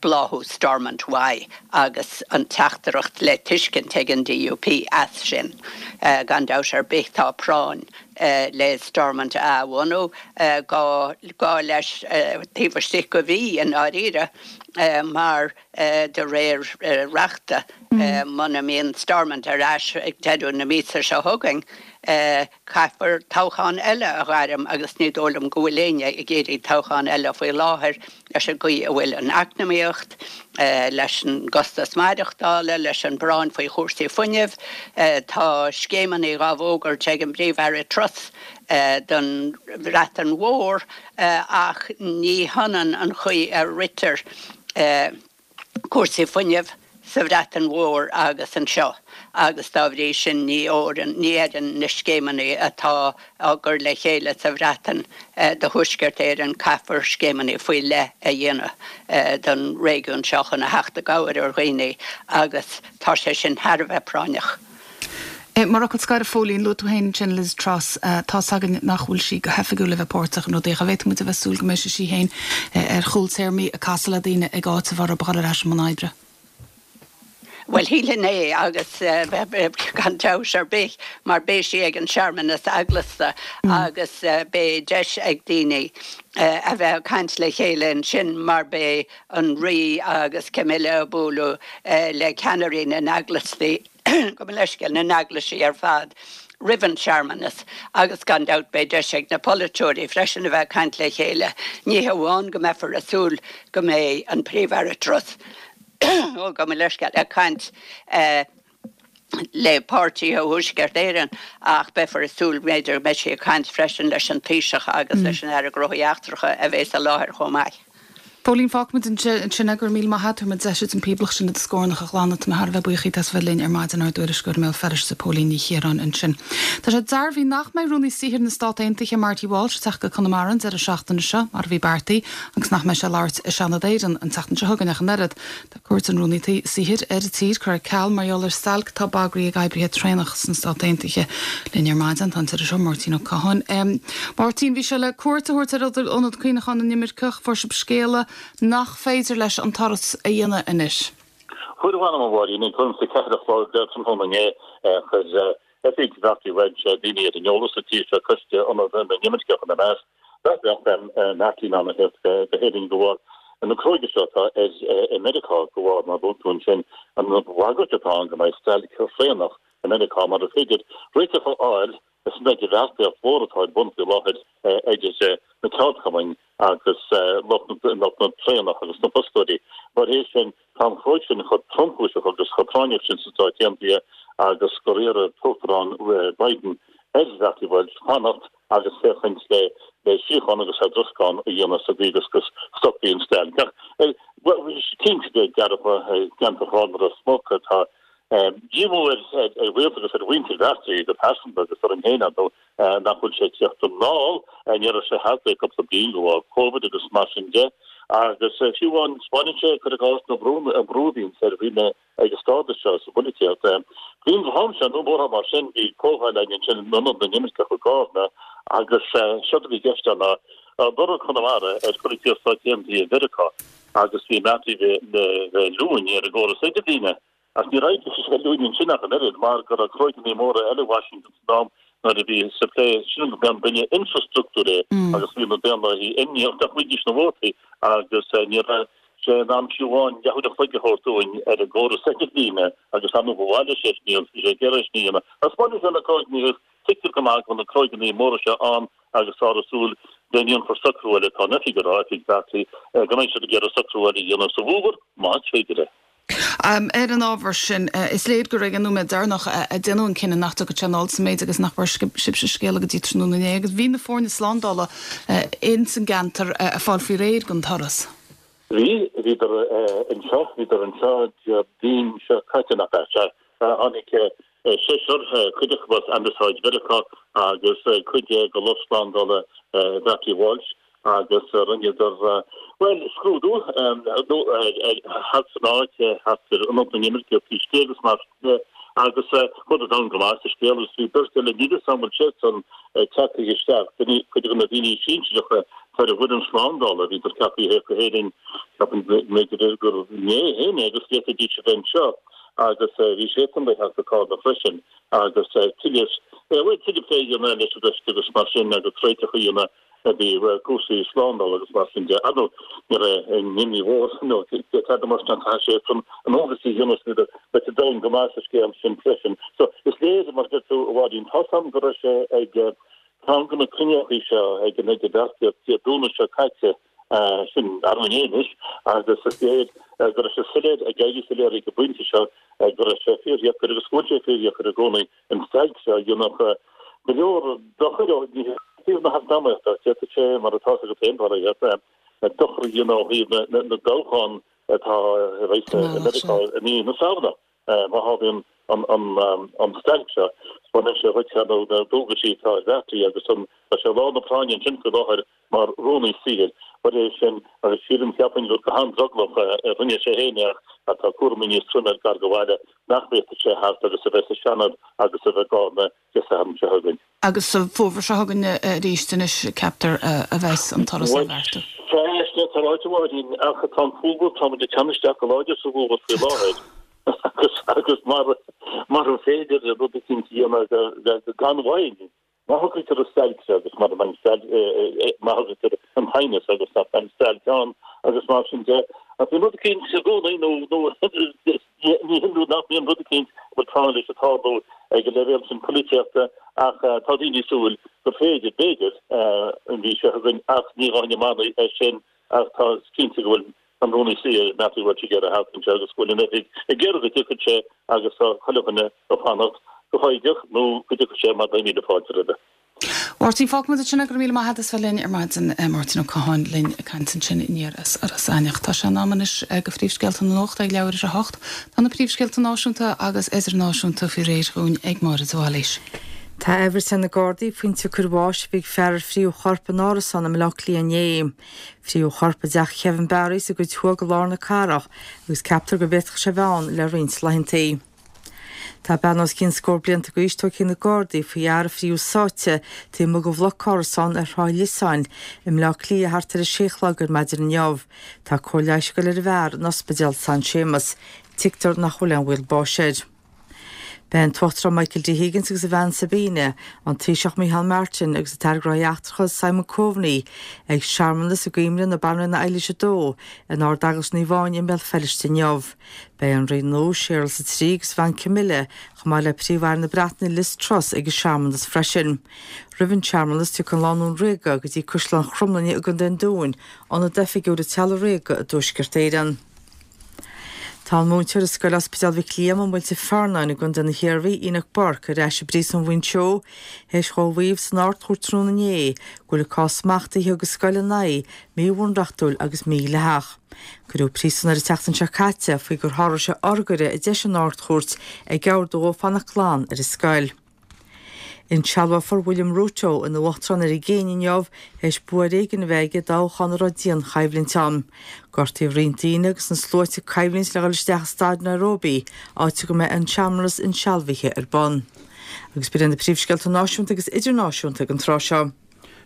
Speaker 7: bláthú Stormont uaidh agus an teachtaireacht le tuiscint ag an DUP as sin. Gan dabht ar bith tá práinn le Stormont a athbhunú, gá leis taobh istigh de mhí i ndáiríre mar de réir reachta muna mbíonn Stormont ar ais ag deireadh na míosa seo chugainn Caithfear toghchán eile a ghairm agus ní dóigh liom go bhfuil éinne ag iarraidh toghchán eile faoi láthair leis an gcaoi a bhfuil an eacnamaíocht, leis an gcostas maireachtála, leis an bpráinn faoi chúrsaí fuinnimh. Tá scéimeanna dhá bhfógairt ag an bPríomh-Aire Truss don Bhreatain Mhór ach ní hionann an chaoi a ritear. Cúrsaí fuinnimh sa Bhreatain Mhór agus anseo agus dá bhrí sin ní oireann, ní oireann na scéimeanna atá á gcur le chéile sa Bhreatain do Thuaisceart Éireann. Caithfear scéimeanna faoi leith a dhéanamh don réigiún seo chun a theacht i gcabhair ar dhaoine agus tá sé sin thar a bheith práinneach.
Speaker 1: Mar fhocal scoir, a Phóilín, luaigh tú féin ansin Liz Truss. Tá's againn nach bhfuil sí go hoifigiúil le bheith páirteach in rudaí ach an bhféadfadh muid a bheith ag súil go mbeidh sí féin ar chúl téarmaí ag casadh le daoine ag áiteamh orthu a dhul ar ais i mbun oibre?
Speaker 7: Bhuel, shílfinn é agus gan dabht ar bith mar beidh sí ag an searmanas eaglasta agus beidh deis ag daoine a bheith ag caint le chéile ansin mar beidh an Rí agus Camilla ag bualadh le ceannairí na n-eaglastaí. gabh mo leithscéal, na n-eaglaisí ar fad roimh an searmanas agus gan dabht beidh deis ag na polaiteoirí freisin a bheith ag caint le chéile. Ní hamháin go mbeifear ag súil go mbeidh an Príomh-Aire Truss, ó gabh mo leithscéal, ag caint le páirtithe Thuaisceart Éireann ach beifear ag súil b'fhéidir go mbeidh sí ag caint freisin leis an Taoiseach agus leis an Aire Gnóthaí Eachtracha a bheas i láthair chomh maith.
Speaker 1: Póilín, Fágfaimid ansin é, go raibh míle maith agat, tabharfaimid deis duit an píblach sin i do scornach a ghlanadh, tá mé thar a bheith buíoch díot as a bheith linn ar maidin, ár dtuairisceoir i mBéal Feirste, Póilín Ní Chiaráin ansin. Tá sé dearbhaithe nach mbeidh Rúnaí Saothair na Stát Aontaithe, Marty Walsh, ag teacht go Conamara an deireadh seachtaine seo, mar a bhí beartaithe, agus nach mbeidh sé ag labhairt i Seanad Éireann an tseachtain seo chugainn ach an oiread. Tá cuairt an Rúnaí Saothair ar an tír curtha ar ceal mar gheall ar stailc atá bagraithe ag oibrithe traenach sna Stáit Aontaithe. Linn ar maidin tá an t-iriseoir Máirtín Ó Catháin. Máirtín, bhí sé le cuairt a thabhairt ar Ionad Cuimhneacháin na nImirceach, fuair sibh scéala nach féidir leis an turas a dhéanamh anois.
Speaker 8: Fuair a mh'anam, a Mháirín, ag tuairim is a 4 a chlog tráthnóna inné, chuir Oifig Mharty Walsh daoine ar an eolas sa tír seo, Coiste Ionad na nImirceach ina measc, nach mbeadh Marty in ann a theacht go hÉirinn de bharr na cruóige seo atá ar i Meiriceá, de bharr, mar a luaigh tú ansin, an bhagairt atá ann go mbeidh stailc thraenach i Meiriceá mura féidir réiteach a fháil san idirbheartaíocht mhór atá ar bun faoi láthair idir na ceardchumainn agus lucht na traenach agus na fostóirí. Mar sin, tá an chruóg sin chomh tromchúiseach agus chomh práinneach sin sna Stáit Aontaithe agus gur iarr an tUachtarán Biden ar Mharty Walsh fanacht agus féachaint le síocháin agus eadroscán a dhéanamh sa gcaoi agus go stopfaí an stailc. Ach cinnte dearfa i gceantar Chárna Ros Muc tá díomá ar ghaolta agus ar mhuintir Mharty go pearsanta agus orainn féin, ar ndóigh, nach bhfuil sé ag tíocht anall. Ní raibh sé thart le cúpla bliain de bharr Covid agus mar sin de. Agus fiú amháin, spáineann sé, cuir i gcás, na brúnna, an brú a bhíonns ar dhaoine ag an stádas seo sa bpolaitíocht. Bliain den am seo, nó mórán mar sin, bhí comhdháil againn ansin in Ionad na nImirceach i gCárna agus séard a bhí i gceist ann ná lorg Chonamara ar pholaitíocht Stáit Aontaithe Mheiriceá agus bhí Marty le bheith luain ar an gcóras idirlíne. Ach níor éirigh leis a bheith luain ansin ach an oiread, mar go raibh cruóigeanna móra eile i Washington san am nuair a bhí sa phlé sin go mba bille infrastruchtúir é agus bhí na Daonlathaithe imníoch nach bhfaighidís na vótaí agus ní raibh sé in ann fiú amháin leathuair a chloig a thabhairt dúinn ar an gcóras idirlíne agus ar ndóigh ba mhaith leis é sin a dhéanamh, bhí sé ag iarraidh é sin a dhéanamh. Ach spáineann sé na cruóigeanna agus tuigtear go maith go bhfuil na cruóigeanna móra seo ann agus táthar ag súil go ndéanfar socrú eile, tá an oifig ag rá, oifig Mharty, go mbeidh siad ag iarraidh socrú eile a dhéanamh sa bhfómhar, más féidir é.
Speaker 1: Ar an ábhar sin, is léir gur ag an nóiméad deireanach a déanadh an cinneadh nach dtiocfadh sé anall sa méid agus nach bhfuair sibhse scéala go dtí tráthnóna inné agus bhí na foirne slándála ins an gceantar ag fáil faoi réir don turas.
Speaker 8: Bhí, bhíodar anseo, bhíodar anseo Déardaoin seo caite nach ea? Sea, tháinig seisear, cuid acu as Ambasáid Mheiriceá agus cuid de lucht slándála Mharty Walsh agus rinneadar, bhuel, scrúdú thart san áit, thart ar Ionad na nImirceach taobh istigh agus mar sin de agus chuadar domhain go maith sa scéal agus bhí beirt eile, níl 'fhios a'm an bhfuil siadsan tagtha isteach, duine, cuid de na daoine sinsearacha atá ar an bhfoireann slándála, bhíodar ceaptha a theacht go hÉirinn, ceapaim go mb'fhéidir gur inné féin é agus d'fhéadfaidís a bheith anseo agus bhí siadsan le theacht go Carna freisin agus tuilleadh, bhuel, tuilleadh plé a dhéanamh leis an gcoiste agus mar sin agus réiteach a dhéanamh i dtaobh cúrsaí slándála agus mar sin de. Ar ndóigh, ní raibh aon imní mhór nó tada mar sin caithfidh siadsan a ndualgas a dhéanamh is beidh siad domhain go maith sa scéal sin freisin. So, is léir, mar a deir tú, a Mháirín, tá's a'm go raibh sé ag ceann de na cruinniúchaí seo ag an idirbheartaíocht Dé Domhnaigh seo caite, sin arú inné anois, agus is léir go raibh sé soiléir, ag éirí soiléir ag an bpointe seo, go raibh sé fíordheacair agus go bhfuil sé fíordheacair i gcónaí an stailc seo a dhéanfadh go leor dochair ó thaobh na heacnamaíochta. D'fhéadfadh sé, mar atá 'fhios agat féin, dochar a dhéanamh ó thaobh na dtoghchán. atá a bheas i Meiriceá i mí na Samhna. Má tharlaíonn an stailc seo, baineann sé dhuit nó na dualgaisí atá ar Bhertie agus tá sé i lár na práinne ansin faoi láthair mar Rúnaí Saothair. Mar é sin, agus sílim, cheapfainn gur go han-drogallach a rinne sé féin é ach tá cúraimí níos troime air gar do bhaile nach bhféadfadh sé theacht agus a bheith sa Seanad agus a bheith ag Gárna Dé Sathairn seo chugainn.
Speaker 1: Agus sa bhfómhar seo chugainn arís anois, ceaptar, a bheas an turas á bheartú.
Speaker 8: Bhuel, sea, tá ráite a Mháirín, ach tá an fómhar, táimid ag teannadh isteach go láidir sa bhfómhar faoi láthair agus agus mara mara féidir rud eicínt a dhéanamh gan mhoill, má shocraítear an stailc seo agus mara mbeidh an stailc, má shocraítear an t-aighneas agus nach mbeidh an stailc ann agus mar sin de. Ach bíonn rud eicínt i gcónaí nó nó Ní hionadh nach mbíonn rud eicínt a bhfuil práinn leis ag tarlú ag an leibhéal sin polaitíochta ach tá daoine ag súil gur féidir, b'fhéidir, an mhí seo chugainn ach ní ghabhfainn i mbannaí air sin ach tá cinnte go bhfuil an Rúnaí Saothair, Matthew Welch ag iarraidh theacht anseo agus go bhfuil an oifig ag iarraidh go dtiocfadh sé agus tá chuile dhuine ag fanacht go foighdeach nó go dtiocfadh sé mar beidh míle fáilte roimhe.
Speaker 1: Mháirtín, fágfaimid ansin é, go raibh míle maith agat as bheith linn ar maidin. Máirtín Ó Catháin linn ag caint ansin aniar as Iorras Aithneach. Tá sé in am anois do phríomhscéalta na nuachta ag leathuair ar a hocht. Tá na príomhscéalta náisiúnta agus idirnáisiúnta faoi réir dhúinn ag Máire de Bhailís.
Speaker 2: Tá aiféala ar na Gardaí faoin tsiocair bháis a bhí ag fear ar fríodh a chorp in árasán i mBaile Átha Cliath inné. Fríodh a chorp i dteach Kevin Barry sa gcuid thuaidh de lár na cathrach agus ceaptar go bhféadfadh sé a bheith ann le roinnt laethanta. Tá bean os cionn scór blianta d'aois tugtha chuig na Gardaí faoi fhear a fríodh sáite taobh amuigh de bhloc árasán ar Shráid Liosáin i mBleá Cliath thart ar a sé a chlog ar maidin inniu. Tá cóir leighis ag dul ar an bhfear in Ospidéal San Séamas. Tuigtear nach bhfuil aon bhaol báis air. Beidh an tUachtarán Michael D Higgins agus a bhean Sabina, an Taoiseach Micheál Martin agus an tAire Gnóthaí Eachtracha Simon Coveney ag searmanas i gcuimhne na Banríona Eilís 2 in Ard-Eaglais Naomh Áine i mBéal Feirste inniu. Beidh an Rí nua, Séarlas 3 agus a bhean Camilla, chomh maith le Príomh-Aire na Breataine Liz Truss ag an searmanas freisin. Roimh an searmanas, tiocfaidh an lánúin ríoga go dtí Caisleán Chromghlinne i gContae an Dúin, ionad oifigiúil an teaghlaigh ríoga i dTuaisceart Éireann. Tá an múinteoir i Scoil Ospidéal Mhic Liam i Muilte Fearnáin i gContae na hIarmhí, Enoch Burke, ar ais i bPríosún Mhuinseo théis dhó a mhaíomh san Ard-Chúirt tráthnóna inné go bhfuil an cás smachtaithe a thug an scoil ina aghaidh míbhunreachtúil agus mídhleathach. Cuireadh príosún air an tseachtain seo caite faoi gur sháraigh sé urghaire a d'eisigh an Ard-Chúirt ag ordú dhó fanacht glan ar an scoil. Insealbhófar William Ruto ina uachtarán ar an gCéinia inniu théis bua ar éigean a bheith aige i dtoghchán a raibh dianchoimhlint ann. Gortaíodh roinnt daoine agus na sluaite ag coimhlint le dhul isteach i staid Nairobi, áit go mbeidh an searmanas insealbhaithe ar bun. Agus b'in iad na príomhscéalta náisiúnta agus idirnáisiúnta ag an tráth seo.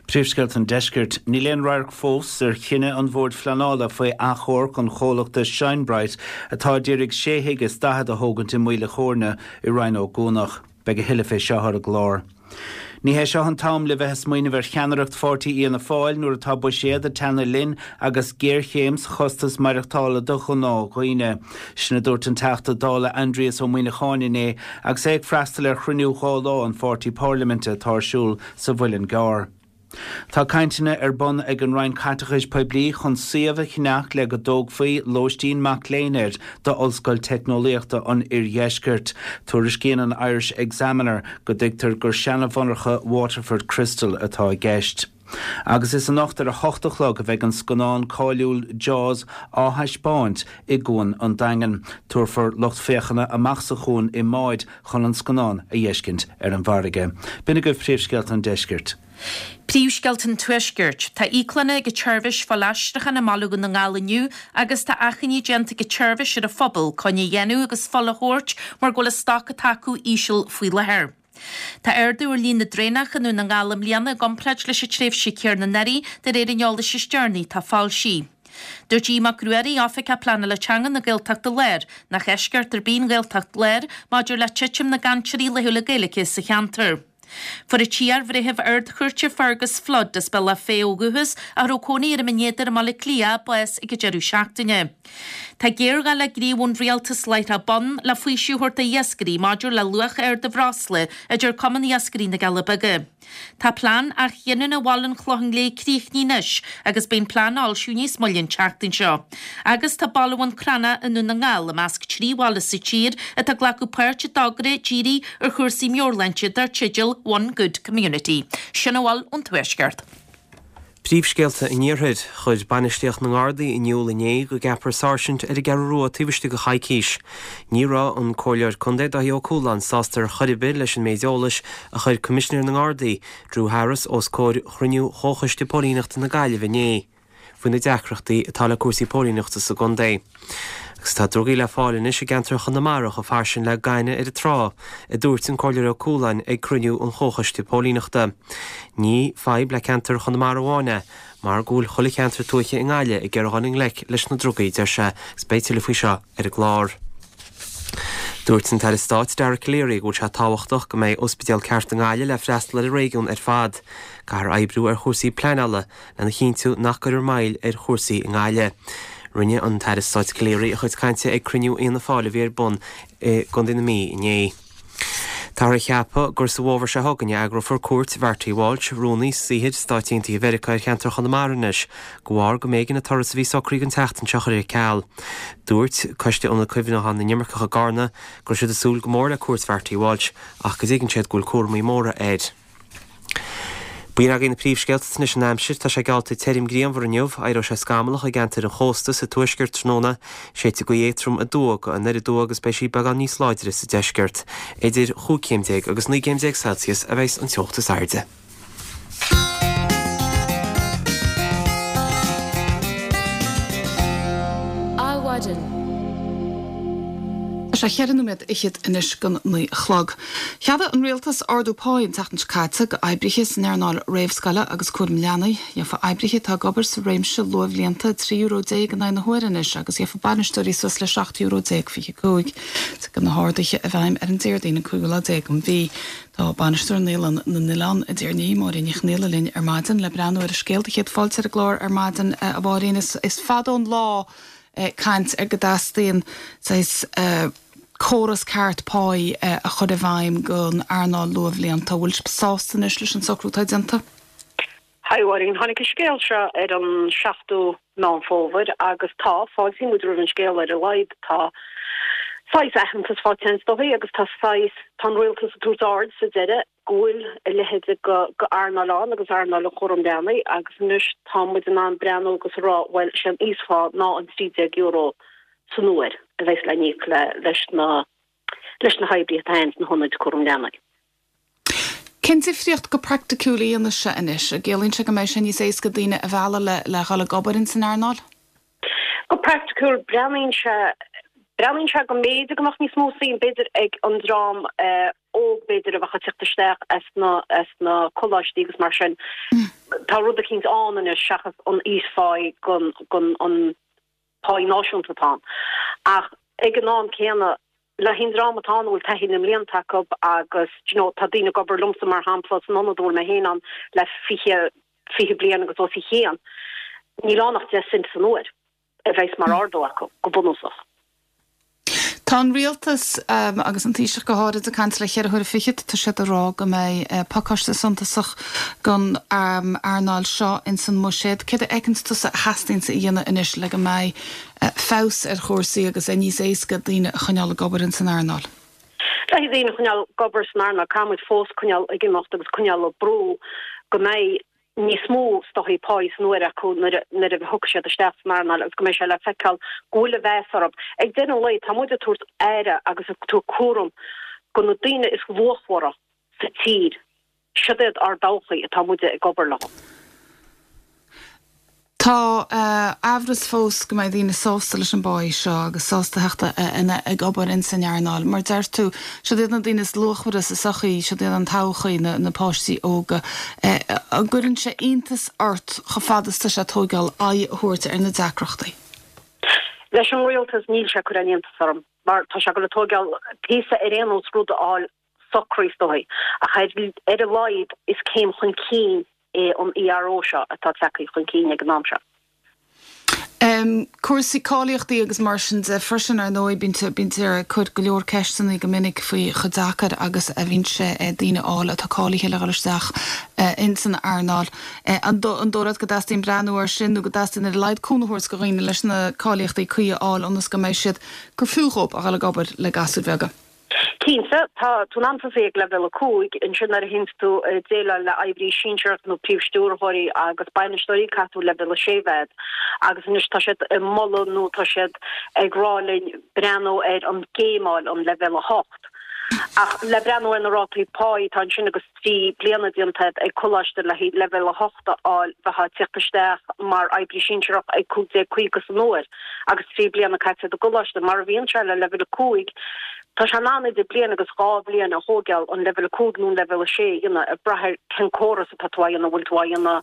Speaker 3: Príomhscéalta an Deiscirt. Níl aon radharc fós ar chinneadh an Bhoird Phleanála faoi achomharc an chomhlachta Shine Bright atá a d'iarraidh sé thigh is 40 a thógaint i Maoil a' Chóirne i Rinn Ó gCuanach. Beidh a thuilleadh fé seo ar an gclár. Ní hé seo an t-am le bheith ag smaoineamh ar cheannaireacht pháirtí Fhianna Fáil nuair atá buiséad ag teannadh linn agus géarchéim sa chostas maireachtála do ghnáthdhaoine. Sin a dúirt an Teachta Dála Aindrias Ó Muimhneacháin inné agus é ag freastal ar chruinniú dhá lá an pháirtí parlaiminte atá ar siúl sa Mhuileann gCearr. Tá cainteanna ar bun ag an Roinn Caiteachais Poiblí chun suíomh a cheannach le go dtógfaí lóistín mac léinn air d'Ollscoil Teicneolaíochta an Oirdheiscirt. Tuairiscíonn an Irish Examiner go dtuigtear gur seana-mhonarcha Waterford Crystal atá i gceist. Agus is anocht ar a hocht a chlog a bheidh an scannán cáiliúil Jaws á thaispeáint i gCuan an Daingin. Tabharfar lucht féachana amach sa chuan i mbáid chun an scannán a dh'fheiscint ar an bhfarraige. B'in agaibh príomhscéalta an deiscirt.
Speaker 4: Príomhscéalta an Tuaiscirt. Tá íoclanna ag an tseirbhís fuilaistriúcháin i mBaile Dhún na nGall inniu agus tá achainí déanta ag an tseirbhís ar an phobal coinne a dhéanamh agus fuil a thabhairt mar go bhfuil an stoc atá acu íseal faoi láthair. Tá ardú ar líon na dtraenach i nDún na nGall i mbliana i gcomparáid leis an tréimhse chéanna anuraidh de réir an eolais is deireanaí atá foilsithe. Dúirt Aodh Mac Ruairí, Oifigeach Pleanála Teanga na Gaeltachta Láir, nach eisceacht ar bith an Ghaeltacht Láir maidir le titim na gcainteoirí laethúla Gaeilge sa cheantar. Fuair an t-iarbhreitheamh Ard-Chúirte Fergus Flood, as Bealach Féich ó dhúchas, a raibh cónaí air i mBinn Éadair i mBaile Átha Cliath, bás ag an deireadh seachtaine. Tá géarghá le gníomh ón rialtas láithreach bonn le faoiseamh a thabhairt d'iascairí maidir le luach ard an bhreosla, a deir Cumann Iascairí na gCealla Beaga. Tá plean athghiniúna Bhaile an Chlocháin Léith críochnaithe anois agus beidh an plean á fhoilsiú níos moille an tseachtain seo. Agus tá Baile Bhun Cranncha i nDún na nGall i measc 3 bhaile sa tír atá ag glacadh páirt i dtogra dírithe ar chúrsaí meabhairshláinte dar teideal One Good Community. Sin a bhfuil ón Tuaisceart.
Speaker 5: Príomhscéalta an Iarthair, Chuir bainistíocht na nGardaí in iúl inné go gceapfar sáirsint ar an gCeathrú Rua taobh istigh de choicís. Ní raibh an Comhairleoir Contae Dáithí Ó Cualáin sásta ar chor ar bith leis an méid eolais a chuir Coimisinéir na nGardaí, Drew Harris os comhair chruinniú Chomhchoiste Póilíneachta na Gaillimhe inné. faoi na deacrachtaí atá le cúrsaí póilíneachta sa gcontae. Agus tá drugaí le fáil anois i gceantar Chonamara chomh fairsing le gaineamh ar an trá, a dúirt an Comhairleoir Ó Cualáin ag cruinniú an Chomhchoiste Póilíneachta. Ní fadhb le ceantar Chonamara amháin é, mar go bhfuil chuile cheantar tuaithe i nGaillimh ag iarraidh dhul i ngleic leis na drugaí, deir sé, agus beidh tuilleadh faoi seo ar an gclár. Dúirt an tAire Stáit Dara Calleary go bhfuil sé tábhachtach go mbeidh ospidéal ceart i nGaillimh le freastal ar an réigiún ar fad. Caithfear oibriú ar chúrsaí pleanála lena chinntiú nach gcuirfear moill ar chúrsaí i nGaillimh. Rinne an tAire Stáit Calleary a chuid cainte ag cruinniú Fhianna Fáil a bhí ar bun i gContae na Mí inné. Táthar a cheapadh gur sa bhfómhar seo chugainn a eagrófar cuairt Mharty Walsh, Rúnaí Saothair Stáit Aontaithe Mheiriceá ar cheantar Chonamara anois, de bharr go mb'éigean an turas a bhí socraithe don tseachtain seo a chur ar ceal. Dúirt Coiste Ionad Cuimhneacháin na nImirceach i gCarna go raibh siad ag súil go mór le cuairt Mharty Walsh ach go dtuigeann siad go bhfuil cúramaí móra air. B'in agaibh na príomhscéalta anois an aimsir. Tá sé geallta tirim grianmhar inniu. Éireoidh sé scamallach i gceantair an chósta sa tuaisceart tráthnóna. Séidfidh gaoth éadtrom aduaidh go anoir aduaidh agus beidh sí beagán níos láidre sa deisceart. Idir chúig chéim déag agus 19 gcéim Celsius a bheas an teocht is airde.
Speaker 1: Adhmhaidin. Tá sé cheithre nóiméad fhichead anois don 9 a chlog. Cheadaigh an Rialtas ardú páí an tseachtain seo caite go oibrithe san earnáil réamhscoile agus cúram leanaí. Gheofa oibrithe atá ag obair sa réimse luathbhlianta €13 in aghaidh na huaire anois agus gheofa bainisteoirí suas le €17 25. Tiocfaidh na harduithe i bhfeidhm ar an Déardaoin an cúigiú lá déag den mhí. Tá bainisteoir Naíolann na nOileán i dTír an Fhia, Máirín Ní Chonaola linn ar maidin le breathnú ar an scéal do chéad fáilte ar an gclár ar maidin a Mháirín. Is fada ón lá caint ar go dteastaíonn saghas córas ceart páí a chur i bhfeidhm don earnáil luathbhlianta. Bhfuil sibh sásta anois leis an socrú atá déanta?
Speaker 9: Haigh a Mháirín, tháinig an scéal seo ar an 7ú Meán Fómhair agus tá, fáiltíonn muid roimh an scéal ar a laghad tá saghas aitheantas faighte is dóigh agus tá saghas, tá an rialtas ag tabhairt aird sa deireadh go bhfuil a leithéid de earnáil ann agus earnáil an chúram leanaí agus anois tá muid in ann breathnú agus a rá bhuel sé an íosphá ná an €13 san uair a bheas le n-íoc leis na leis na hoibrithe atá ins na hionaid cúram leanaí.
Speaker 1: Cén difríocht go praiticiúil a dhéanfas sé anois? An gciallaíonn sé go mbeidh sé níos éasca daoine a mhealladh le le dhul ag obair ins an earnáil?
Speaker 9: Go praiticiúil breathnaíonn sé breathnaíonn sé go mb'fhéidir go mbeadh níos mó suim b'fhéidir ag an dream óg b'fhéidir a bheadh ag teacht isteach as na as na coláistí agus mar sin. Tá rud eicínt ann anois seachas an íospháí gon gon an páí náisiúnta atá ann. Ach ag an am céanna, le haghaidh an dream atá ann a bhfuil taithí na mblianta acu agus do you know tá daoine ag obair liomsa mar shampla san ionad a bhfuil mé féin ann le 20, 20 bliain agus os a chionn, níl ann ach 10 cent san uair a bheas mar ardú acu, go bunúsach.
Speaker 1: Tá an Rialtas, agus an Taoiseach go háirid, ag caint le cheithre huaire fichead. Tá siad ag rá go mbeidh pacáiste suntasach don earnáil seo ins an mBuiséad. Céard a fheiceanns tusa a theastaíonns a dhéanamh anois le go mbeidh feabhas ar chúrsaí agus é níos éasca daoine a choinneáil ag obair ins an earnáil?
Speaker 9: Le haghaidh daoine a choinneáil ag obair san earnáil, caithfidh muid fós coinneáil ag imeacht agus coinneáil ag brú go mbeidh níos mó is dóichí páí san uair acu nuair a thiocfaidh siad isteach san earnáil agus go mbeidh sé le feiceáil go bhfuil a mheas orthu. Ag deireadh an lae, tá muid ag tabhairt aire agus ag tabhairt cúram go na daoine is luachmhara sa tír. Siod iad ár dtodhchaí atá muide ag obair leo.
Speaker 1: Tá aimhreas fós go mbeidh daoine sásta leis an bpáí seo agus sásta theacht ag obair ins an earnáil. Mar deir tú, siod iad na daoine is luachmhaire sa sochaí, siod iad an todhchaí, na páistí óga. An gcuireann sé iontas ort chomh fada is tá sé ag tóigeáil aghaidh a thabhairt ar na deacrachtaí?
Speaker 9: Leis an rialtas níl sé ag cur aon iontas orm mar tá sé ag dul a tóigeáil píosa ar aon nós rud a fháil socraithe is dóichí, ach ar a laghad is céim chun cinn é an ERO seo atá tagtha chun cinn ag an am seo.
Speaker 1: Cúrsaí cáilíochtaí agus mar sin de freisin, ar ndóigh, bítear ag cur go leor ceisteanna go minic faoi chomh deacair agus a bhíonn sé daoine a fháil atá cáilithe le dhul isteach ins an earnáil. An dóigh leat go dteastaíonn breathnú air sin nó go dteastaíonn ar a laghad cúnamh a thabhairt do dhaoine leis na cáilíochtaí cuí a fháil ionas go mbeidh siad, gur fiú dhóibh a dhul ag obair le gasúir bheaga?
Speaker 9: Cinnte, tá tú in ann tosaí ag leibhéal 5, ansin nuair a théanns tú ag déileáil le oibrí sinsearach nó príomhstiúrthóirí agus bainisteoirí caithfidh tú leibhéal 6 a bheith agat. Agus anois tá siad ag moladh nó tá siad ag rá linn breathnú ar an gcéimeáil, an leibhéal 8. Ach le breathnú ar na rátaí páí atá ansin agus 3 bliana déanta ag coláiste le haghaidh leibhéal 8 a fháil, bheifeá ag tíocht isteach mar oibrí sinsearach ag 1,550 san uair agus 3 bliana caite i gcoláiste. Mar a bhíonn sé le leibhéal 5, tá sé in ann idir bliain agus dhá bhliain a thóigeáil an leibhéal 5 nó an leibhéal 6 a dhéanamh, ag brath ar cén córas atá tú á dhéanamh, an bhfuil tú á dhéanamh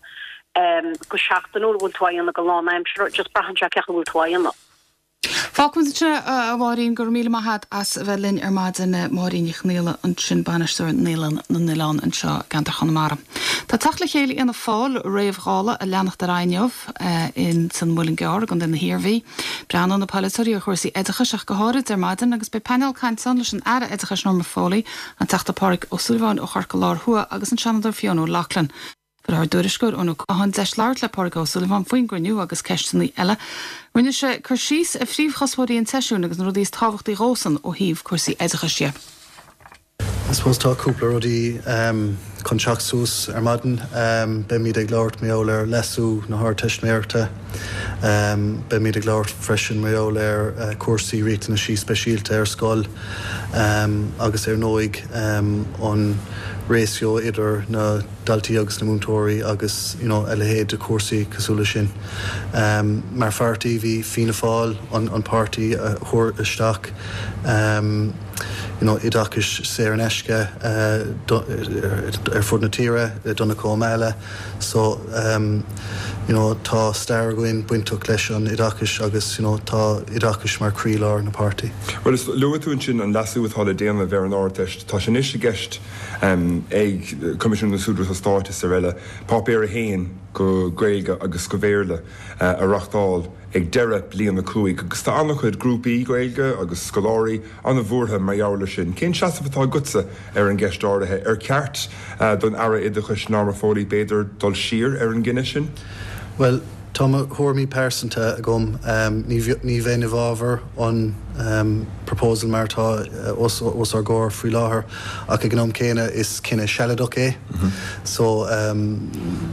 Speaker 9: go seachtainiúil, an bhfuil tú á dhéanamh go lánaimseartha, just braitheann sé cén chaoi a bhfuil tú á dhéanamh.
Speaker 1: Fágfaimid ansin é, a Mháirín. Go raibh míle maith a't as a bheith linn ar maidin. Máirín Ní Chonaola ansin, Bainisteoir Naíolann na nOileán anseo i gceantar Chonamara. Tá teacht le chéile Fhianna Fáil réamh-Dhála ag leanacht ar aghaidh inniu in san Muileann gCearr i gContae na hIarmhí. Breathnóidh na polaiteoirí ar chúrsaí oideachais ach go háirid ar maidin agus beidh painéal cainte ann leis an Aire Oideachais Norma Foley, an Teachta Pádraig Ó Súilleabháin ó Chorcaigh Láir Thuaidh agus an Seanadóir Fiona O'Loughlin. Fuair ár dtuairisceoir Eoin Ó Catháin deis labhairt le Pádraig Ó Súilleabháin faoin gcruinniú agus ceisteanna eile. Rinne sé cur síos ar phríomhchuspóirí an tseisiúin agus na rudaí is tábhachtaí dhósan ó thaobh cúrsaí oideachais dhe.
Speaker 10: I suppose tá cúpla rudaí chun teacht suas ar maidin. Beimid ag labhairt mar gheall ar leasú na hArdteistiméireachta. Beimid ag labhairt freisin mar gheall ar cúrsaí riachtanaisí speisialta ar scoil agus ar ndóigh an ratio idir na daltaí agus na múinteoirí agus you know a leithéid de chúrsaí cosúil leis sin. Mar pháirtí bhí Fianna Fáil an páirtí a chuir isteach you know oideachais saor in aisce ar fud na tíre le Donncha Ó Máille so you know tá stair againn bainteach leis an oideachais agus you know tá oideachais mar chroílár na páirtí.
Speaker 11: Bhuel is luaigh tú ansin an leasú atá le déanamh ar an Ardteist. Tá sé anois i gceist ag Coimisiún na Scrúduithe Stáit is araile, Páipéar 1 go Gaeilge agus go Bhéarla a reachtáil ag deireadh bliain 5 agus tá an-chuid grúpaí Gaeilge agus scoláirí an-bhuartha mar gheall ar sin. Cén seasamh atá agatsa ar an gceist áirithe? Ar cheart don Aire Oideachais Norma Foley b'fhéidir dul siar ar an gcinneadh sin?
Speaker 10: Bhuel, Tá mo thuairimí pearsanta agam. Ní bheinn i bhfabhar an proposal mar atá os ár gcomhair faoi láthair ach ag an am céanna is cinneadh sealadach é. So,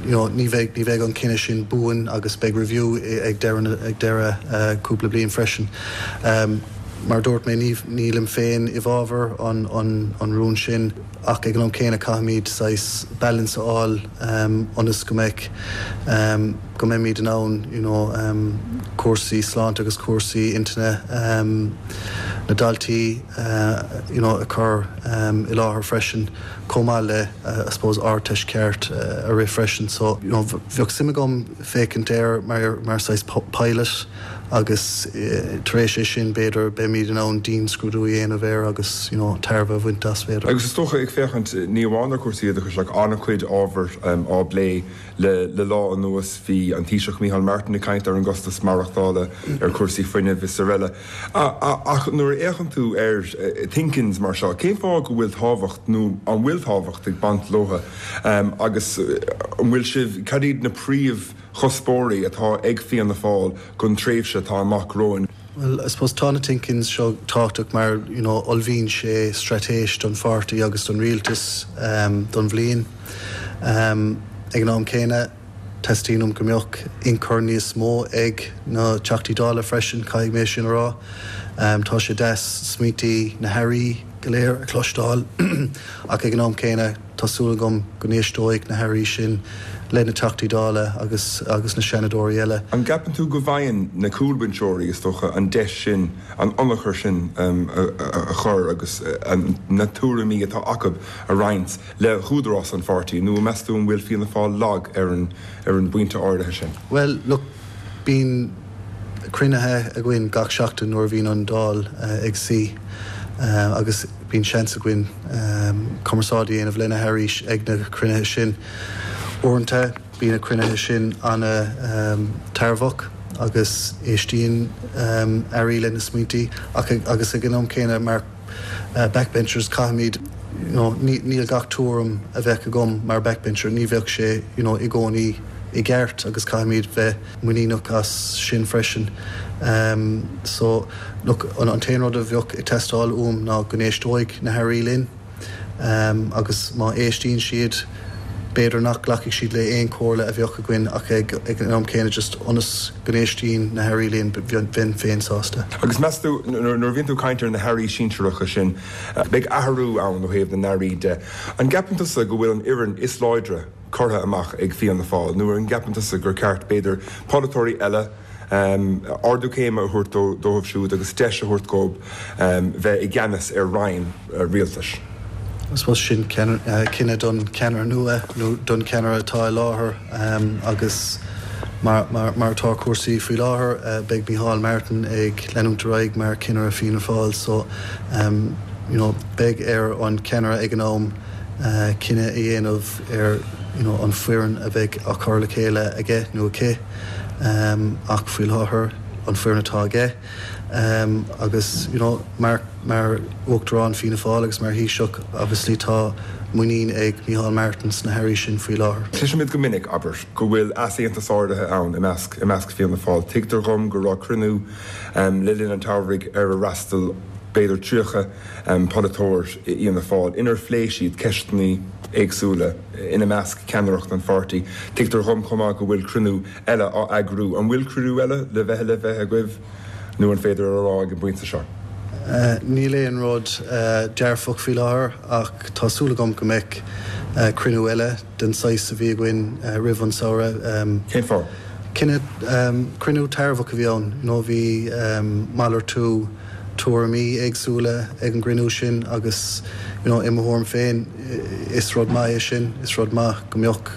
Speaker 10: you know, ní bheidh, ní bheidh an cinneadh sin buan agus beidh review ag deireadh, ag deireadh cúpla bliain freisin. Mar a dúirt mé, ní, nílim féin i bhfabhar an, an, an rún sin ach ag an am céanna caithfimid saghas balance a fháil ionas go mbeidh, go mbeimid in ann you know cúrsaí sláinte agus cúrsaí intinne na ndaltaí you know a chur i láthair freisin chomh maith le I suppose Ardteist ceart a rith freisin so you know bheadh suim agam féachaint air mar mar saghas pilot agus tar éis é sin b'fhéidir beimid in ann dianscrúdú a dhéanamh air agus you know tairbhe a bhaint as b'fhéidir.
Speaker 11: Agus is dócha ag féachaint ní amháin ar chúrsaí oideachais ach an-chuid ábhar á bplé Le lá anuas bhí an Taoiseach Micheál Martin ag caint ar an gcostas maireachtála, ar chúrsaí fuinnimh is araile. Ach nuair a fhéachann tú ar thinkins mar seo, cén fáth go bhfuil tábhacht, nó an bhfuil tábhacht ag baint leo agus an bhfuil sibh, cad iad na príomhchuspóirí atá ag Fianna Fáil don tréimhse atá amach romhainn?
Speaker 10: Bhuel, I suppose tá na thinkins seo tábhachtach mar, you know, ullmhaíonn sé straitéis don pháirtí agus don rialtas don bhliain. Ag an am céanna, teastaíonn uaim go mbeadh ionchur níos mó ag na Teachtaí Dála freisin, caithfidh mé sin a rá. Tá sé deas smaointí na hAirí go léir a chloisteáil ach ag an am céanna, Tá súil agam go n-éisteoidh na hAirí sin le na Teachtaí Dála agus agus na Seanadóirí eile.
Speaker 11: An gceapann tú go bhfaigheann na cúlbhinseoirí, is dócha, an deis sin, an ionchur sin a chur agus na tuairimí atá acu a roinnt le húdarás an pháirtí, nó meas tú an bhfuil Fianna Fáil lag ar an ar an bpointe áirithe sin?
Speaker 10: Bhuel, look, bíonn cruinnithe againn gach seachtain nuair a bhíonn an Dáil ag suí agus bíonn seans againn cumarsáid a dhéanamh le na hairí ag na cruinnithe sin. Uaireanta bíonn na cruinnithe sin an-tairbheach agus éistíonn airí le na smaointí ach agus ag an am céanna mar backbenchers caithfimid you know níl gach tuairim a bheadh agam mar backbencher, ní bheadh sé you know i gcónaí. i gceart agus caithfimid bheith muiníneach as sin freisin. So, look, an t-aon rud a bheadh ag teastáil uaim ná go n-éisteoidh na hairí linn. Agus má éistíonn siad, b'fhéidir nach nglacfaidh siad le aon chomhairle a bheadh againn ach ag an am céanna just ionas go n-éistíonn na hairí linn, bheinn féin sásta.
Speaker 11: Agus meas tú, nuair a bhíonn tú ag caint ar na hairí sinsearacha sin, beidh athrú ann ó thaobh na n-airí de. An gceapann tusa go bhfuil an fhoireann is láidre curtha amach ag Fianna Fáil nó an gceapann tusa gur ceart, b'fhéidir, polaiteoirí eile, ardú céime a thabhairt dóibh siúd agus deis a thabhairt dhóibh bheith i gceannas ar roinn rialtais.
Speaker 10: I suppose sin cinneadh don cheannaire nua nó don cheannaire atá i láthair agus mar atá cúrsaí faoi láthair beidh Micheál Martin ag leanúint ar aghaidh mar cheannaire Fianna Fáil so you know beidh ar an cheannaire ag an am cinneadh a dhéanamh ar you know an foireann a bheidh á cur le chéile aige nó aici. Ach faoi láthair, an foireann atá aige agus you know mar mar Uachtarán Fianna Fáil agus mar Thaoiseach obviously tá muinín ag Micheál Martin sna hairí sin faoi láthair.
Speaker 11: Cloisimid go minic, abair, go bhfuil easaontas áirithe ann i measc i measc Fianna Fáil. Tuigtear dhom go raibh cruinniú le linn an tsamhraidh ar ar fhreastail b'fhéidir 30 polaiteoir Fhianna Fáil inar phléigh siad ceisteanna éagsúla, ina measc ceannaireacht an pháirtí. Tuigtear dhom chomh maith go bhfuil cruinniú eile á eagrú. An bhfuil cruinniú eile le bheith le bheith agaibh nó an féidir a rá ag an bpointe seo?
Speaker 10: Níl aon rud dearfach faoi láthair ach tá súil agam go mbeidh cruinniú eile den saghas a bhí againn roimh an samhradh.
Speaker 11: Cén fáth?
Speaker 10: Cinneadh, cruinniú tairbheach a bhí ann. You know bhí malartú tuairimí éagsúla ag an gcruinniú sin agus you know i mo thuairim féin is rud maith é sin, is rud maith go mbeadh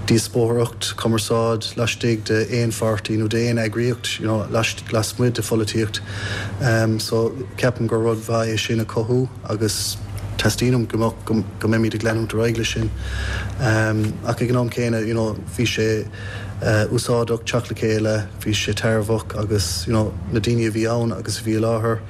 Speaker 10: díospóireacht, cumarsáid laistigh de aon pháirtí nó de aon eagraíocht you know lasmuigh de pholaitíocht. So ceapaim gur rud mhaith é sin a chothú agus teastaíonn uaim go mbeadh, go mbeimid ag leanúint ar aghaidh leis sin. Ach ag an am céanna you know bhí sé úsáideach teacht le chéile, bhí sé tairbheach agus you know na daoine a bhí ann agus a bhí i láthair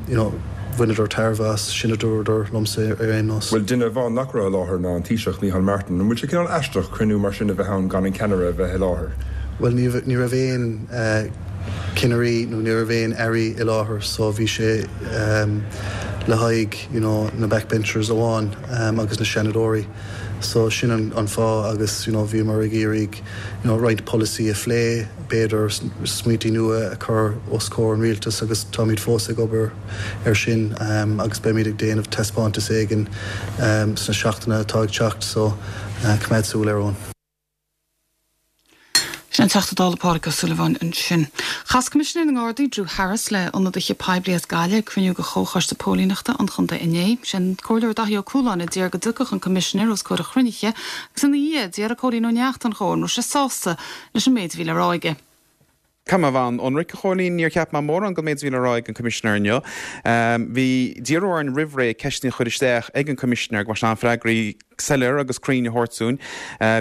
Speaker 10: you know bhaineadar tairbhe as, sin a dúradar liomsa ar aon nós.
Speaker 11: Bhuel, duine amháin nach raibh i láthair ná an Taoiseach, Micheál Martin. An bhfuil sé cineál aisteach cruinniú mar sin a bheith ann gan an ceannaire a bheith i láthair?
Speaker 10: Bhuel, ní ní raibh aon cinnirí nó ní raibh aon airí i láthair so bhí sé le haghaidh you know na backbenchers amháin agus na seanadóirí. So sin an fáth agus you know bhíomar ag iarraidh you know roinnt polasaí a phlé, b'fhéidir smaointí nua a chur os comhair an rialtais agus táimid fós ag obair ar sin agus beimid ag déanamh taispeántas éigin sna seachtainí atá ag teacht so coimeád súil air Eoin.
Speaker 1: Sin an Teachta Dála Pádraig Ó Súilleabháin ansin. Chas Coimisinéir na nGardaí, Drew Harris, le ionadaithe poiblí as Gaillimh ag cruinniú de Chomhchoiste Póilíneachta an chontae inné. Sé an Comhairleoir Daithí Ó Cualáin a d'iarr go dtiocfadh an Coimisinéir os comhair an chruinnithe agus ina dhiaidh d'fhiafraigh Cóilín Ó Neachtain dhó an raibh sé sásta leis an méid a bhí le rá aige.
Speaker 12: Caithfidh mé a bheith an-ionraic, a Chóilín, níor cheap mé mórán den méid a bhí le rá ag an Coimisinéir inniu. Bhí, d'iarradh orainn roimh ré ceisteanna a chur isteach ag an Coimisinéir go mbeadh sé in ann freagraí soiléir agus cruinn a thabhairt dúinn.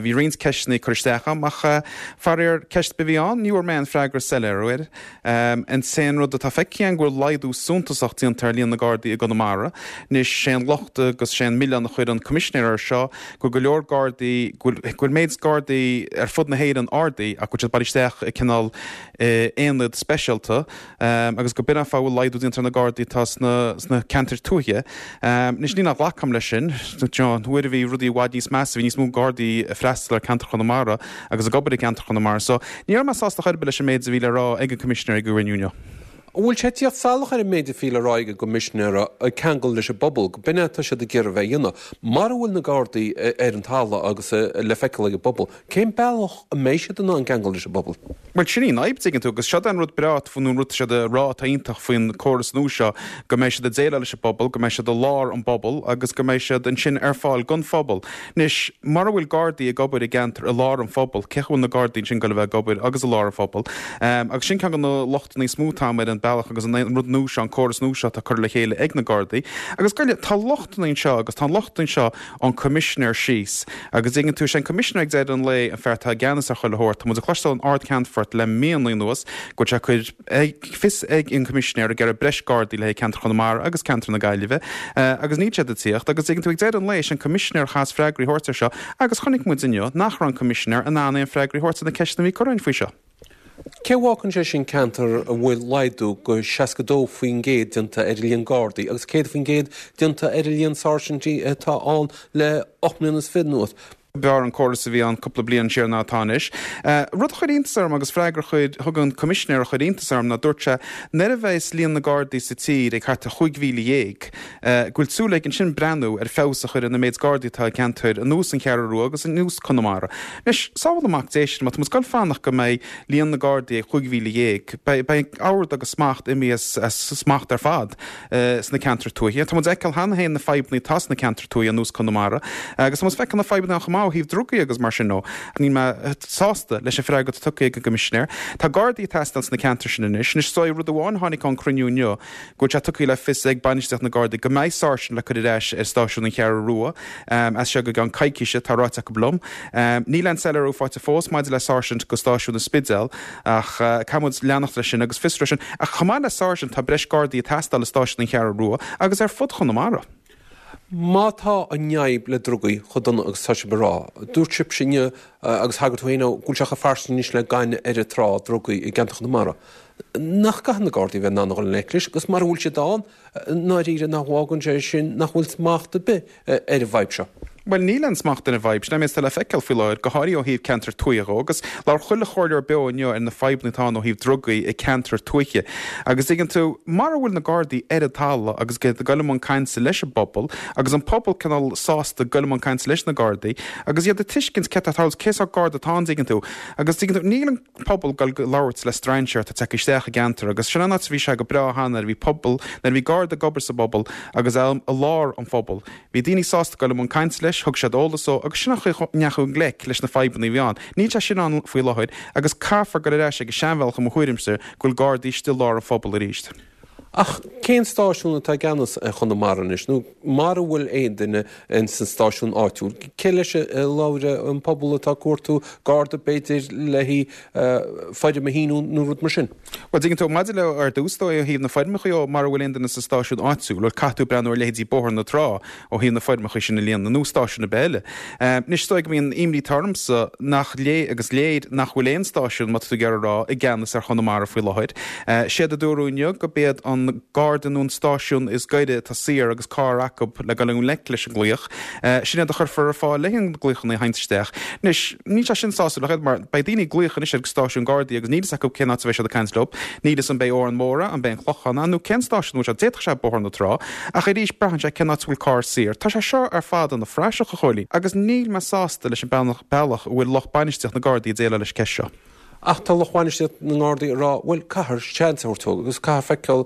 Speaker 12: Bhí roinnt ceisteanna curtha isteach agam ach faraor ceist ar bith a bhí ann, ní bhfuair mé aon freagra soiléir air. An t-aon rud atá feicthe agam go bhfuil laghdú suntasach déanta ar líon na Gardaí i gConamara. Anois, sé an locht agus sé an milleán a chuir an Coimisinéir air seo go bhfuil go leor Gardaí, go bhfuil méid Gardaí ar fud na hÉireann ardaithe ach go bhfuil siad bailithe isteach i cineál aonad speisialta agus go b'in an fáth a bhfuil laghdú déanta ar na Gardaí atá sna ceantair tuaithe. Anois, ní nach nglacaim leis sin, an uair a bhí rudaí i bhfad níos measa, bhí níos mó Gardaí ag freastal ar ceantar Chonamara agus ag obair i gceantar Chonamara. So, ní raibh mé sásta chor ar bith leis an méid a bhí le rá ag an Coimisinéir ag an gcruinniú inniu.
Speaker 13: An bhfuil sé ag tíocht salach ar an méid a bhí le rá ag an gCoimisinéir ag ceangal leis an bpobal, go b'in é atá siad ag iarraidh a bheith a dhéanamh? Mara bhfuil na Gardaí ar an talamh agus le feiceáil ag an bpobal, cén bealach a mbeidh siad in ann ceangal leis an bpobal?
Speaker 12: Bhuel, sin í an fhadhb, tuigeann tú, agus seo é an rud breá, nó an rud atá siad a rá atá iontach faoin córas nua seo, go mbeidh siad ag déileáil leis an bpobal, go mbeidh siad i lár an bpobal agus go mbeidh siad ansin ar fáil don phobal. Anois, mura bhfuil Gardaí ag obair i gceantar i lár an phobail, cé chaoi bhfuil na Gardaí ansin ag goil a bheith ag obair agus i lár an phobail? Agus sin ceann de na lochtanna is mó atá agam ar an. bealach agus an rud nua seo, an córas nua seo atá curtha le chéile ag na Gardaí. Agus goile, tá lochtanna anseo agus tá an locht anseo ón Coimisinéir síos. Agus dtuigeann tú, is é an Coimisinéir ag deireadh an lae an fear atá i gceannas ar chuile shórt. Tá muid ag cloisteáil ón Ard-Cheannfort le míonna anuas go bhfuil sé ag cur fios ag an Coimisinéir ag iarraidh breis Gardaí le haghaidh ceantar Chonamara agus ceantar na Gaillimhe agus níl siad ag tíocht. Agus dtuigeann tú, ag deireadh an lae, is é an Coimisinéir a chaithfeas freagraí a thabhairt ar seo agus chonaic muid inniu nach raibh an Coimisinéir in ann aon freagraí a thabhairt ar na ceisteanna a bhí curtha againn faoi seo.
Speaker 13: Cé a bhfágann sé sin ceantar a bhfuil laghdú go 62% déanta ar an líon Gardaí agus 100% déanta ar an líon sáirsintí atá ann le 8 mbliana is fiche anuas?
Speaker 12: B'fhearr an córas a bhí ann cúpla bliain siar ná atá anois. Rud a chuir iontas orm agus freagra a chuir, thug an Coimisinéir a chuir iontas orm ná dúirt sé nuair a bheas líon na Gardaí sa tír ag thart ar 15,000, go bhfuil súil aige ansin breathnú ar feabhas a chur ar na méid Gardaí atá i gceantair ar nós an Cheathrú Rua agus ar nós Conamara. Anois, sábháil an Mac Dé sinn, má tá muid ag goil fanacht go mbeidh líon na Gardaí ag 15,000, beidh ord agus smacht imithe as smacht ar fad sna ceantair tuaithe. Tá muid ag feiceáil cheana féin na fadhbanna atá sna ceantair tuaithe ar nós Conamara agus tá muid ag feiceáil na fadhbanna ann chomh maith ó thaobh drugaí agus mar sin dó. Níl mé sásta leis an freagra atá tugtha ag an gCoimisinéir. Tá Gardaí ag teastáil sna ceantair sin anois. Anois, is dóigh rud amháin a tháinig ón cruinniú inniu, go bhfuil sé tugtha le fios ag bainistíocht na Gardaí go mbeidh sáirsint le cur ar ais ar stáisiún an Cheathrú Rua as seo go gceann coicíse, tá ráite acu liom. Níl aon soiléiriú faighte fós maidir le sáirsint go stáisiún an Spidéil ach caithfidh muid leanacht leis sin agus fiosrú sin. Ach chomh maith le sáirsint tá breis Gardaí ag teastáil i stáisiún an Cheathrú Rua agus ar fud Chonamara.
Speaker 13: Má tá an fhadhb le drugaí chomh dona agus atá sibh ag rá, dúirt sibhse inniu agus thagair tú féin dó go bhfuil sé chomh fairsing anois le gaineamh ar an trá, drugaí i gceantar Chonamara. Nach gcaithfidh na Gardaí a bheith in ann a dhul i ngleic leis agus mara bhfuil siad ann, i ndáiríre nach bhfágann sé sin nach bhfuil smacht ar bith ar an bhfadhb seo?
Speaker 12: Bhuel, níl aon smacht ar an bhfadhb. Sin é an méid atá le feiceáil faoi láthair, go háirithe ó thaobh ceantar tuaithe dhó. Agus labhair chuile chomhairleoir beo inniu ar na fadhbanna atá ann ó thaobh drugaí i ceantar tuaithe. Agus tuigeann tú, mara bhfuil na Gardaí ar an talamh agus iad ag dul i mbun cainte leis an bpobal, agus an pobal cineál sásta dul i mbun cainte leis na Gardaí, agus iad ag tuiscint céard atá ag tarlú, cé sórt Garda atá ann, tuigeann tú. Agus tuigeann tú, níl an. pobal ag goil ag labhairt le strainséir atá tagtha isteach i gceantar agus sin an áit a bhí sé go breá cheana nuair a bhí pobal, nuair a bhí Garda ag obair sa bpobal agus é i lár an phobail. Bhí daoine sásta dul i mbun cainte leis, thug siad eolas dó agus sin an chaoi a ndeachaigh i ngleic leis na fadhbanna a bhí ann. Níl sé sin ann faoi láthair agus caithfear dul ar ais ag an seanbhealach i mo thuairimse go bhfuil Gardaí istigh i lár an phobail arís.
Speaker 13: Ach cén stáisiún atá i gceannas ar Chonamara anois, nó mara bhfuil aon duine ins an stáisiún áitiúil, cé leis a labhróidh an pobal atá ag cuartú garda b'fhéidir le haghaidh foirm a shíniú nó rud mar sin?
Speaker 12: Bhuel, dtuigeann tú, maidir le ar dtús dó ó thaobh na foirmeacha dhó, mara bhfuil aon duine sa stáisiún áitiúil, bhuel, caithfidh tú breathnú ar leithéidí Bóthar na Trá ó thaobh na foirmeacha sin a líonadh, nó stáisiún ar bith eile. Anois, is dóigh go mbíonn imní atá ormsa nach léir, agus léir nach bhfuil aon stáisiún, má tá tú ag iarraidh a rá, i gceannas ar Chonamara faoi láthair. Séard a dúradh inniu gurb iad an Garda nó an stáisiún is gaire atá saor agus carr acu le dul i ngleic leis an nglaoch, sin iad a chuirfear ar fáil le haghaidh na glaochanna a thaganns isteach. Anois, níl sé sin sásúil ach oiread mar beidh daoine ag glaoch anois ar stáisiún Gardaí agus níl fhios acu cén áit a bheidh siad ag caint leo. Níl fhios an b'é Órán Mór é, an b'é an Clochán é nó cén stáisiún a bhfuil sé. D'fhéadfadh sé Bóthar na Trá. Ach arís, braitheann sé cén áit a bhfuil carr saor. Tá sé seo ar fad ina phraiseach, a Chóilín, agus níl mé sásta leis an bealach a bhfuil lucht bainistíocht na Gardaí ag déileáil leis an gceist seo.
Speaker 13: Ach tá lucht bainistíocht na nGardaí ag rá, bhuel, caithfear seans a thabhairt dóibh agus caithfear feiceáil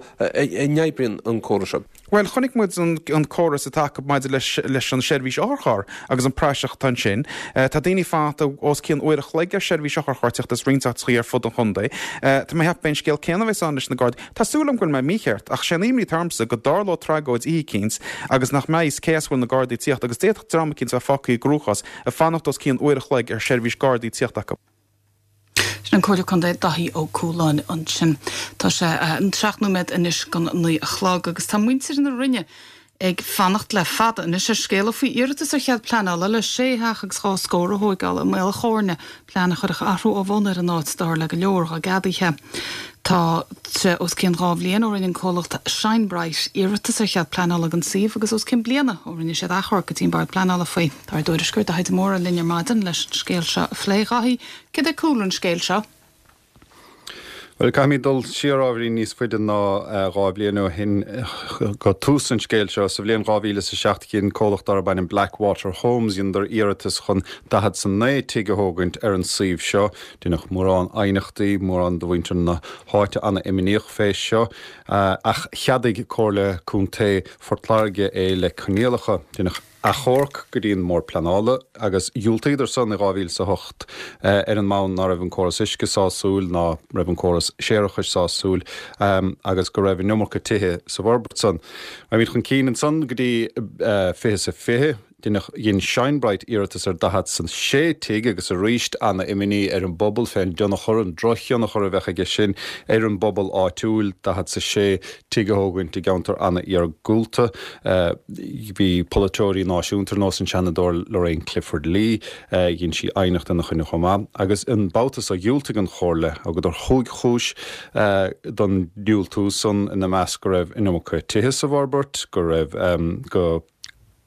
Speaker 13: an oibríonn an córas seo.
Speaker 12: Bhuel, chonaic muid an córas atá acu maidir leis an seirbhís otharcharr agus an praiseach atá ansin. Tá daoine ag fanacht os cionn uair a chloig ar seirbhís otharchairr teacht as roinnt áiteachaí ar fud an chontae. Tá mé ag ceapadh b'é an scéal céanna a bheas ann leis na Gardaí. Tá súil agam go bhfuil mé mícheart, ach sé an imní atá ormsa go dtarlóidh tragóid oíche eicínt agus nach mbeidh fhios cé as a bhfuil na Gardaí ag tíocht agus d'fhéadfadh dream eicínt a bheith fágtha i gcruachás ag fanacht os cionn uair a chloig ar sheirbhís Gardaí tíocht acu.
Speaker 1: Sin an Comhairleoir Contae Daithí Ó Cualáin ansin. Tá sé 7 nóiméad anois don 9 a chlog agus tá muintir na Rinne ag fanacht le fada anois ar scéala faoi iarratas ar chead pleanála le sé theach agus dhá scór a thóigeáil i Maol Chóirne, plean a chuirfeadh athrú ó bhun ar an áit, dar le go leor dá gceadaithe. Tá sé os cionn 2 bhliain ó rinne an comhlacht Shine Bright iarratas ar chead pleanála don suíomh agus os cionn bliana ó rinne siad achomharc go dtí an Bord Pleanála faoi. Tá ár dtuairisceoir Daithí de Mórdha linn ar maidin leis an scéal seo a phlé. Dhaithí, céard é cúlra an scéil seo?
Speaker 14: Bhuel, caithfimid dul siar ábhairín níos faide ná 2 bhliain ó shin go tús an scéil seo. Sa bhliain 2007 dhein comhlacht darb ainm Blackwater Homes, dheineadar iarratas chun 49 tigh a thógaint ar an suíomh seo. Deineadh mórán aighneachtaí, mórán de mhuintir na háite ana-imníoch fé seo, ach cheadaigh Comhairle Contae Phort Láirge é le coinníollacha. Deineadh. Achomharc go dtí an mBord Pleanála agus dhiúltaíodar san i 2008 ar an mbonn ná raibh an córas uisce sásúil, ná raibh an córas séarachais sásúil agus go raibh an iomarca tithe sa bhforbairt san. Raghaimid chun cinn ansan go dtí 20 is a 20. Deineadh, dhein Shinebright iarratas ar 46 tigh agus arís ana-imní ar an bpobal fén dtionchar, an drochthionchar a bheadh aige sin ar an bpobal áitiúil, 46 tigh a thógaint i gceantar ana-iargúlta. Bhí polaiteoirí náisiúnta ar nós an Seanadóir Lorraine Clifford-Lee, dhein sí aighneacht ina choinne chomh maith. Agus an babhta so dhiúltaigh an Chomhairle, thugadar chúig chúis don diúltú san, ina measc go raibh an iomarca tithe sa bhforbairt, go raibh, go.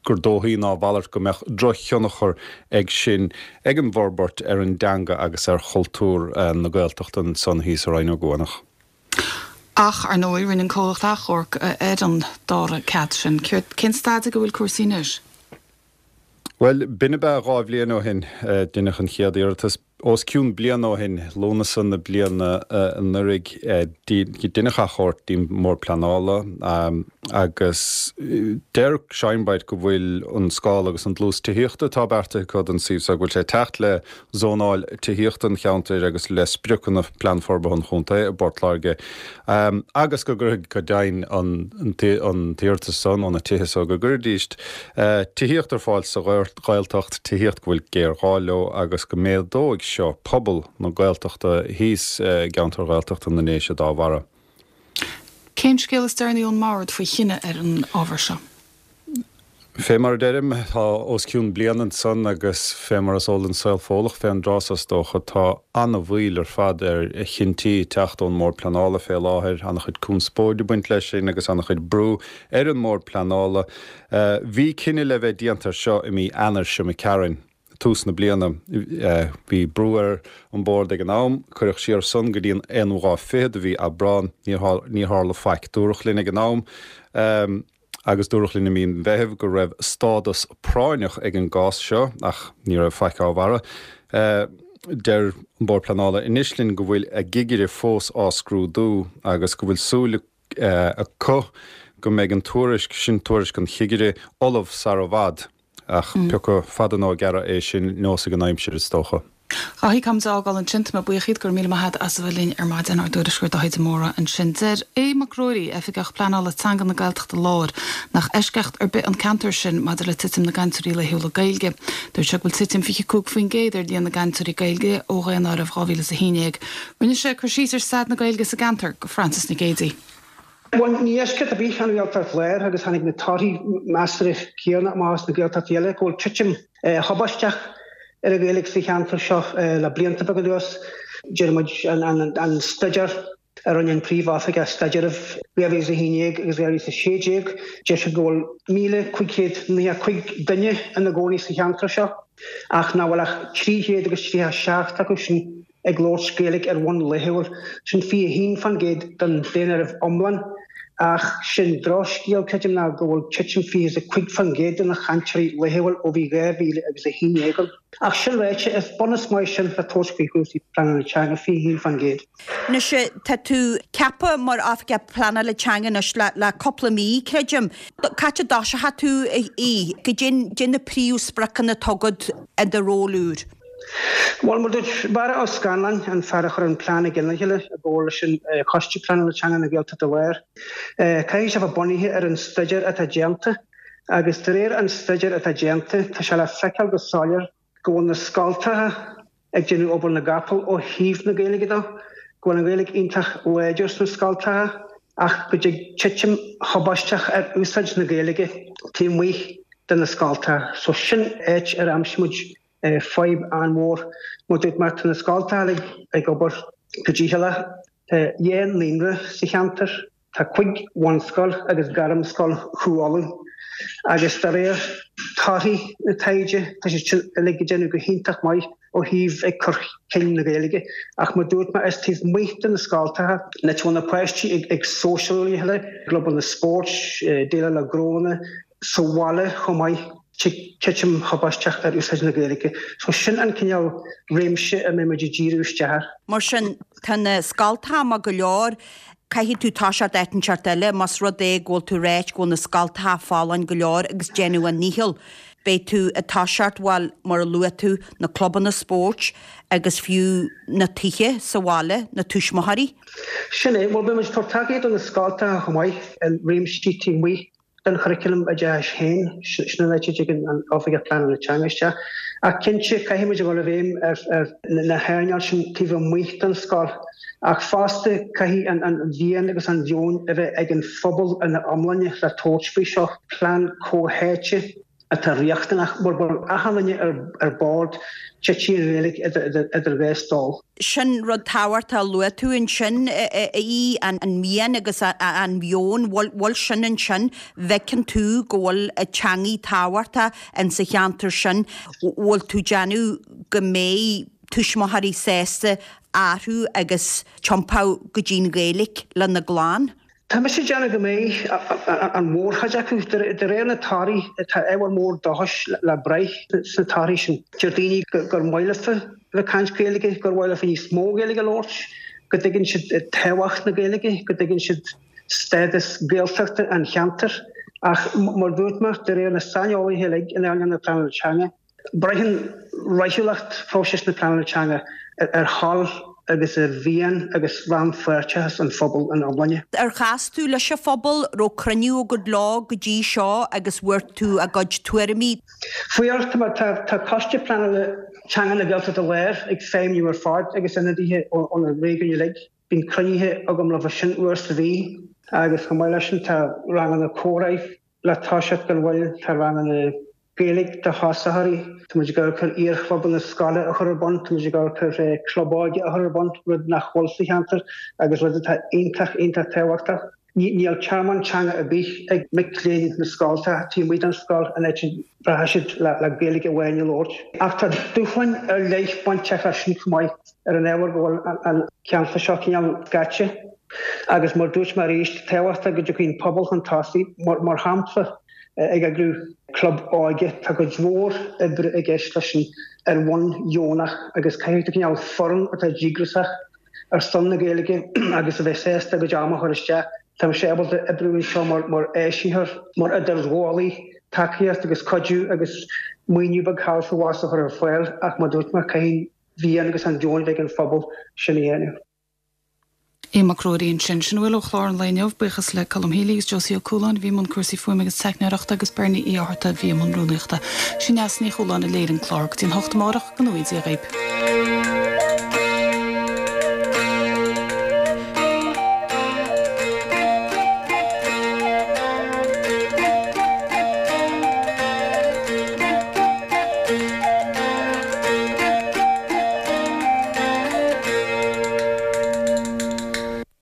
Speaker 14: gur dóichí ná a mhalairt go mbeadh drochthionchar ag sin, ag an bhforbairt ar an dteanga agus ar chultúr na Gaeltachta ansan thíos i Rinn Ó gCuanach.
Speaker 1: Ach, ar ndóigh, rinne an comhlacht achomharc ar an dara cead sin. Cén staid ag a bhfuil cúrsaí anois?
Speaker 14: Bhuel, b'in ab ea 2 bhliain ó shin, deineadh an chéad iarratas. Os cionn bliana ó shin, Lúnasa na bliana anuraidh, deineadh achomharc dtí'n mBord Pleanála agus deir Shinebright go bhfuil an scála agus an dlús tithíochta atá beartaithe acu don suíomh seo, go bhfuil sé ag teacht le zónáil tithíochta an cheantair agus le spriocanna Phlean Forbartha an Chontae i bPort Láirge agus go gcuirfidh, go deimhin, an t-iarratas san ó na tithe so, go gcuirfidís tithíocht ar fáil sa Ghaeltacht, tithíocht go bhfuil géarghá leo agus go méadóidh seo pobal na Gaeltachta thíos i gceantar Ghaeltachta na nDéise dá bharra.
Speaker 1: Cén scéal is deireanaí ón mBord faoi chinneadh ar an ábhar seo?
Speaker 14: Fé mar a deirim, tá os cionn bliain ansan agus fé mar is eol don saol Fódhlach fén dtráth so is dócha, tá ana-mhoill ar fad ar chinntí teacht ón mBord Pleanála fé láthair, ana-chuid conspóide ag baint leis sin agus ana-chuid brú ar an mBord Pleanála. Bhí cinneadh le bheith déanta air seo i mí Eanáir seo imigh tharainn, tús na bliana. Bhí brú ar an Bord ag an am. Cuireadh siar san go dtí an aonú lá fichead de mhí Aibreán. Níor tharla faic. Dúradh linn ag an am, agus dúradh linn i mí an Mheithimh, go raibh stádas práinneach ag an gcás seo, ach ní raibh faic á bharra. Deir an Bord Pleanála anois linn go bhfuil a gcigire fós á scrúdú agus go bhfuil súil acu go mbeidh an tuairisc, sin tuairisc an chigire, ullamh sara bhfad. Ach pioca fada nó gearra é sin, neosfaidh an aimsir, is dócha.
Speaker 1: A Dháithí, caithfimid a fhágáil ansin. Tá mé buíoch díot, go raibh míle maith agat as a bheith linn ar maidin, ár dtuairisceoir Dáithí de Mórdha ansin. Deir Aodh Mac Ruairí, Oifigeach Pleanála Teanga na Gaeltachta Láir, nach eisceacht ar bith an ceantar sin maidir le titim na gcainteoirí laethúla Gaeilge. Dúirt sé go bhfuil titim 25% ar líon na gcainteoirí Gaeilge ó Dhaonáireamh 2011. Rinne sé cur síos ar staid na Gaeilge sa gceantar go Frances Nic Géadaigh.
Speaker 15: Bhuel, ní eisceacht ar bith an Ghaeltacht Láir agus tháinig na torthaí measartha céanna amach as na Gaeltachtaí eile go bhfuil titim thubaisteach ar an Ghaeilge sa cheantar seo le blianta beaga anuas. Deir muid an staidéar a rinne an Príomh-Oifigeach Staidrimh 2011 agus 2016, deir siad go bhfuil 1,595 duine ina gcónaí sa cheantar seo ach nach bhfuil ach 337 acu sin ag labhairt Gaeilge ar bhonn laethúil, sin 21% den daonáireamh iomlán, ach sé'n drochscéal, creidim, ná go bhfuil titim 25% de na chainteoirí laethúil ó bhí 2000 agus 11 ann. Ach sin ráite, is bunús maith sin le tabhairt faoi chúrsaí pleanála teanga, 21%.
Speaker 16: Anois, tá tú ceaptha mar Oifigeach Pleanála Teanga anois le cúpla mí, creidim. Cá háit a dtoiseochaidh tú, a Aoidh? Goidé na príomhspriocanna atá agat i do ról úr?
Speaker 15: Bhuel, mar dúirt Barra Ó Scanláin, an fear a chuir an plean i gceann a chéile i gcomhar leis an Choiste Pleanála Teanga na Gaeltachta Láir, caithfidh sé a bheith bunaithe ar an staidéar atá déanta agus de réir an staidéir atá déanta, tá sé le feiceáil go soiléir go bhfuil na scoltacha ag déanamh obair na gcapall ó thaobh na Gaeilge de, go bhfuil an Ghaeilge iontach láidir sna scoltacha ach go dtig titim thubaisteach ar úsáid na Gaeilge taobh amuigh de na scoltacha. So sin áit ar aimsigh muid fadhb an-mhór. Mar dúirt mé, tá na scoltacha uilig ag obair go dícheallach. Tá dhá naíonra sa cheantar, tá cuig bhunscoil agus gairmscoil Chú Uladh agus de réir torthaí na taighde tá siad sin uilig ag déanamh go hiontach maith ó thaobh ag cur chun na Gaeilge. Ach mar dúirt mé, is taobh amuigh de na scoltacha, an áit a bhfuil na páistí ag sóisialú le chéile, clubanna spóirt, déileáil le gnónna, sa bhaile chomh maith, titim thubaisteach ar úsáid na Gaeilge. So sin an cineál réimse a mbeidh muid ag díriú isteach air.
Speaker 16: Mar sin, tá na scoltacha maith go leor. Caithfidh tú toiseacht áit inteacht eile, más rud é go bhfuil tú ag ráit go bhfuil na scoltacha folláin go leor agus déanamh a ndícheall. Beidh tú ag toiseacht, bhuel, mar a luaigh tú, na clubanna spóirt agus fiú na tithe sa bhaile, na tuismitheoirí.
Speaker 15: Sin é. Bhuel, beidh muid ag tabhairt tacaíocht do na scoltacha chomh maith i réimsí taobh amuigh den churaclam oideachais féin, sin an áit a dtigeann an Oifigeach Pleanála Teanga isteach. Ach cinnte, caithfidh muid a dhul i bhfeidhm ar na hearnáil sin taobh amuigh den scoil. Ach fosta, caithfidh an mhian agus an mheon a bheith ag an phobal ina iomláine le tabhairt faoi seo, plean comhtháite atá riachtanach mar go bhfuil achan duine ar bord, titfidh an Ghaeilge idir dhá stól.
Speaker 16: Sin rud tábhachtach a luaigh tú ansin, a Aoidh, an mian agus an meon, bhfuil sin ansin, bhfeiceann tú go bhfuil an teangaidh tábhachtach in sa cheantar sin, bhfuil tú déanamh go mbeidh tuismitheoirí sásta athrú agus tiompú go dtí'n Ghaeilge lena gclann?
Speaker 15: Tá mise ag déanamh go mbeidh an mhórchuid acu. De réir na torthaí, tá ábhar mór dóchais le braith sna torthaí sin. Deir daoine gur maith leofa bheith ag caint Gaeilge, gur mhaith leofa níos mó Gaeilge a labhairt, go dtuigeann siad tábhacht na Gaeilge, go dtuigeann siad stádas Gaeltachta an cheantair. Ach mar a dúirt mé, de réir na saineolaithe uilig in earnáil na pleanála teanga, Braitheann rathúlacht phróiseas na pleanála teanga ar thoil agus ar mhian agus rannpháirteachas an phobail ina iomláine.
Speaker 16: Ar chas tú leis an phobal? Raibh cruinniú agat leo go dtí seo agus bhfuair tú a gcuid tuairimí?
Speaker 15: Fuair, tá Coiste Pleanála Teanga na Gaeltachta Láir ag feidhmiú ar fad agus ionadaithe ó na réigiúin uilig. Bíonn cruinnithe agam leo sin uair sa mhí agus chomh maith leis sin tá ranganna comhrá le toiseacht gan mhoill, tá ranganna Gaeilge do thosaitheoirí. Tá muid ag amharc ar iarchlubanna scoile a chur ar bun, tá muid ag amharc ar club óige a chur ar bun, rud nach bhfuil sa cheantar agus rud atá iontach, iontach tábhachtach. Níl tearmann teanga ar bith ag mic léinn na scoltacha taobh amuigh den scoil an áit a mbraithfidh siad le Gaeilge amháin a labhairt. Ach tá dúshláin ar leith bainteach leis sin chomh maith ar an ábhar go bhfuil an ceantar seo cineál scaite agus mar dúirt mé arís, tábhachtach go dtiocfaidh an pobal chun tosaigh. Mar shampla. ag eagrú club óige. Tá cuid mhór oibre i gceist leis sin ar bhonn dheonach agus caithfidh tú cineál foireann atá díograiseach ar son na Gaeilge agus a bheith sásta a gcuid ama a chur isteach. Tá mise ábalta oibriú anseo mar áisitheoir, mar idirghabhálaí, tacaíocht agus cuidiú agus maoiniú beag thall is abhus a chur ar fáil ach mar dúirt mé, caithfidh an mhian agus an mheon a bheith ag an phobal sin a dhéanamh.
Speaker 1: Aodh Mac Ruairí ansin. Sin a bhfuil ó chlár an lae inniu. Buíochas le Colm Healy agus Josie Ó Cualáin a bhí i mbun cúrsaí fuaime agus teicneoireachta agus Bernie Uí Fhátharta a bhí i mbun rúnaíochta. Sí Neasa Ní Chualáin a léirigh an clár. Go dtí an hocht amárach, go ngnóthaí Dia dhaoib.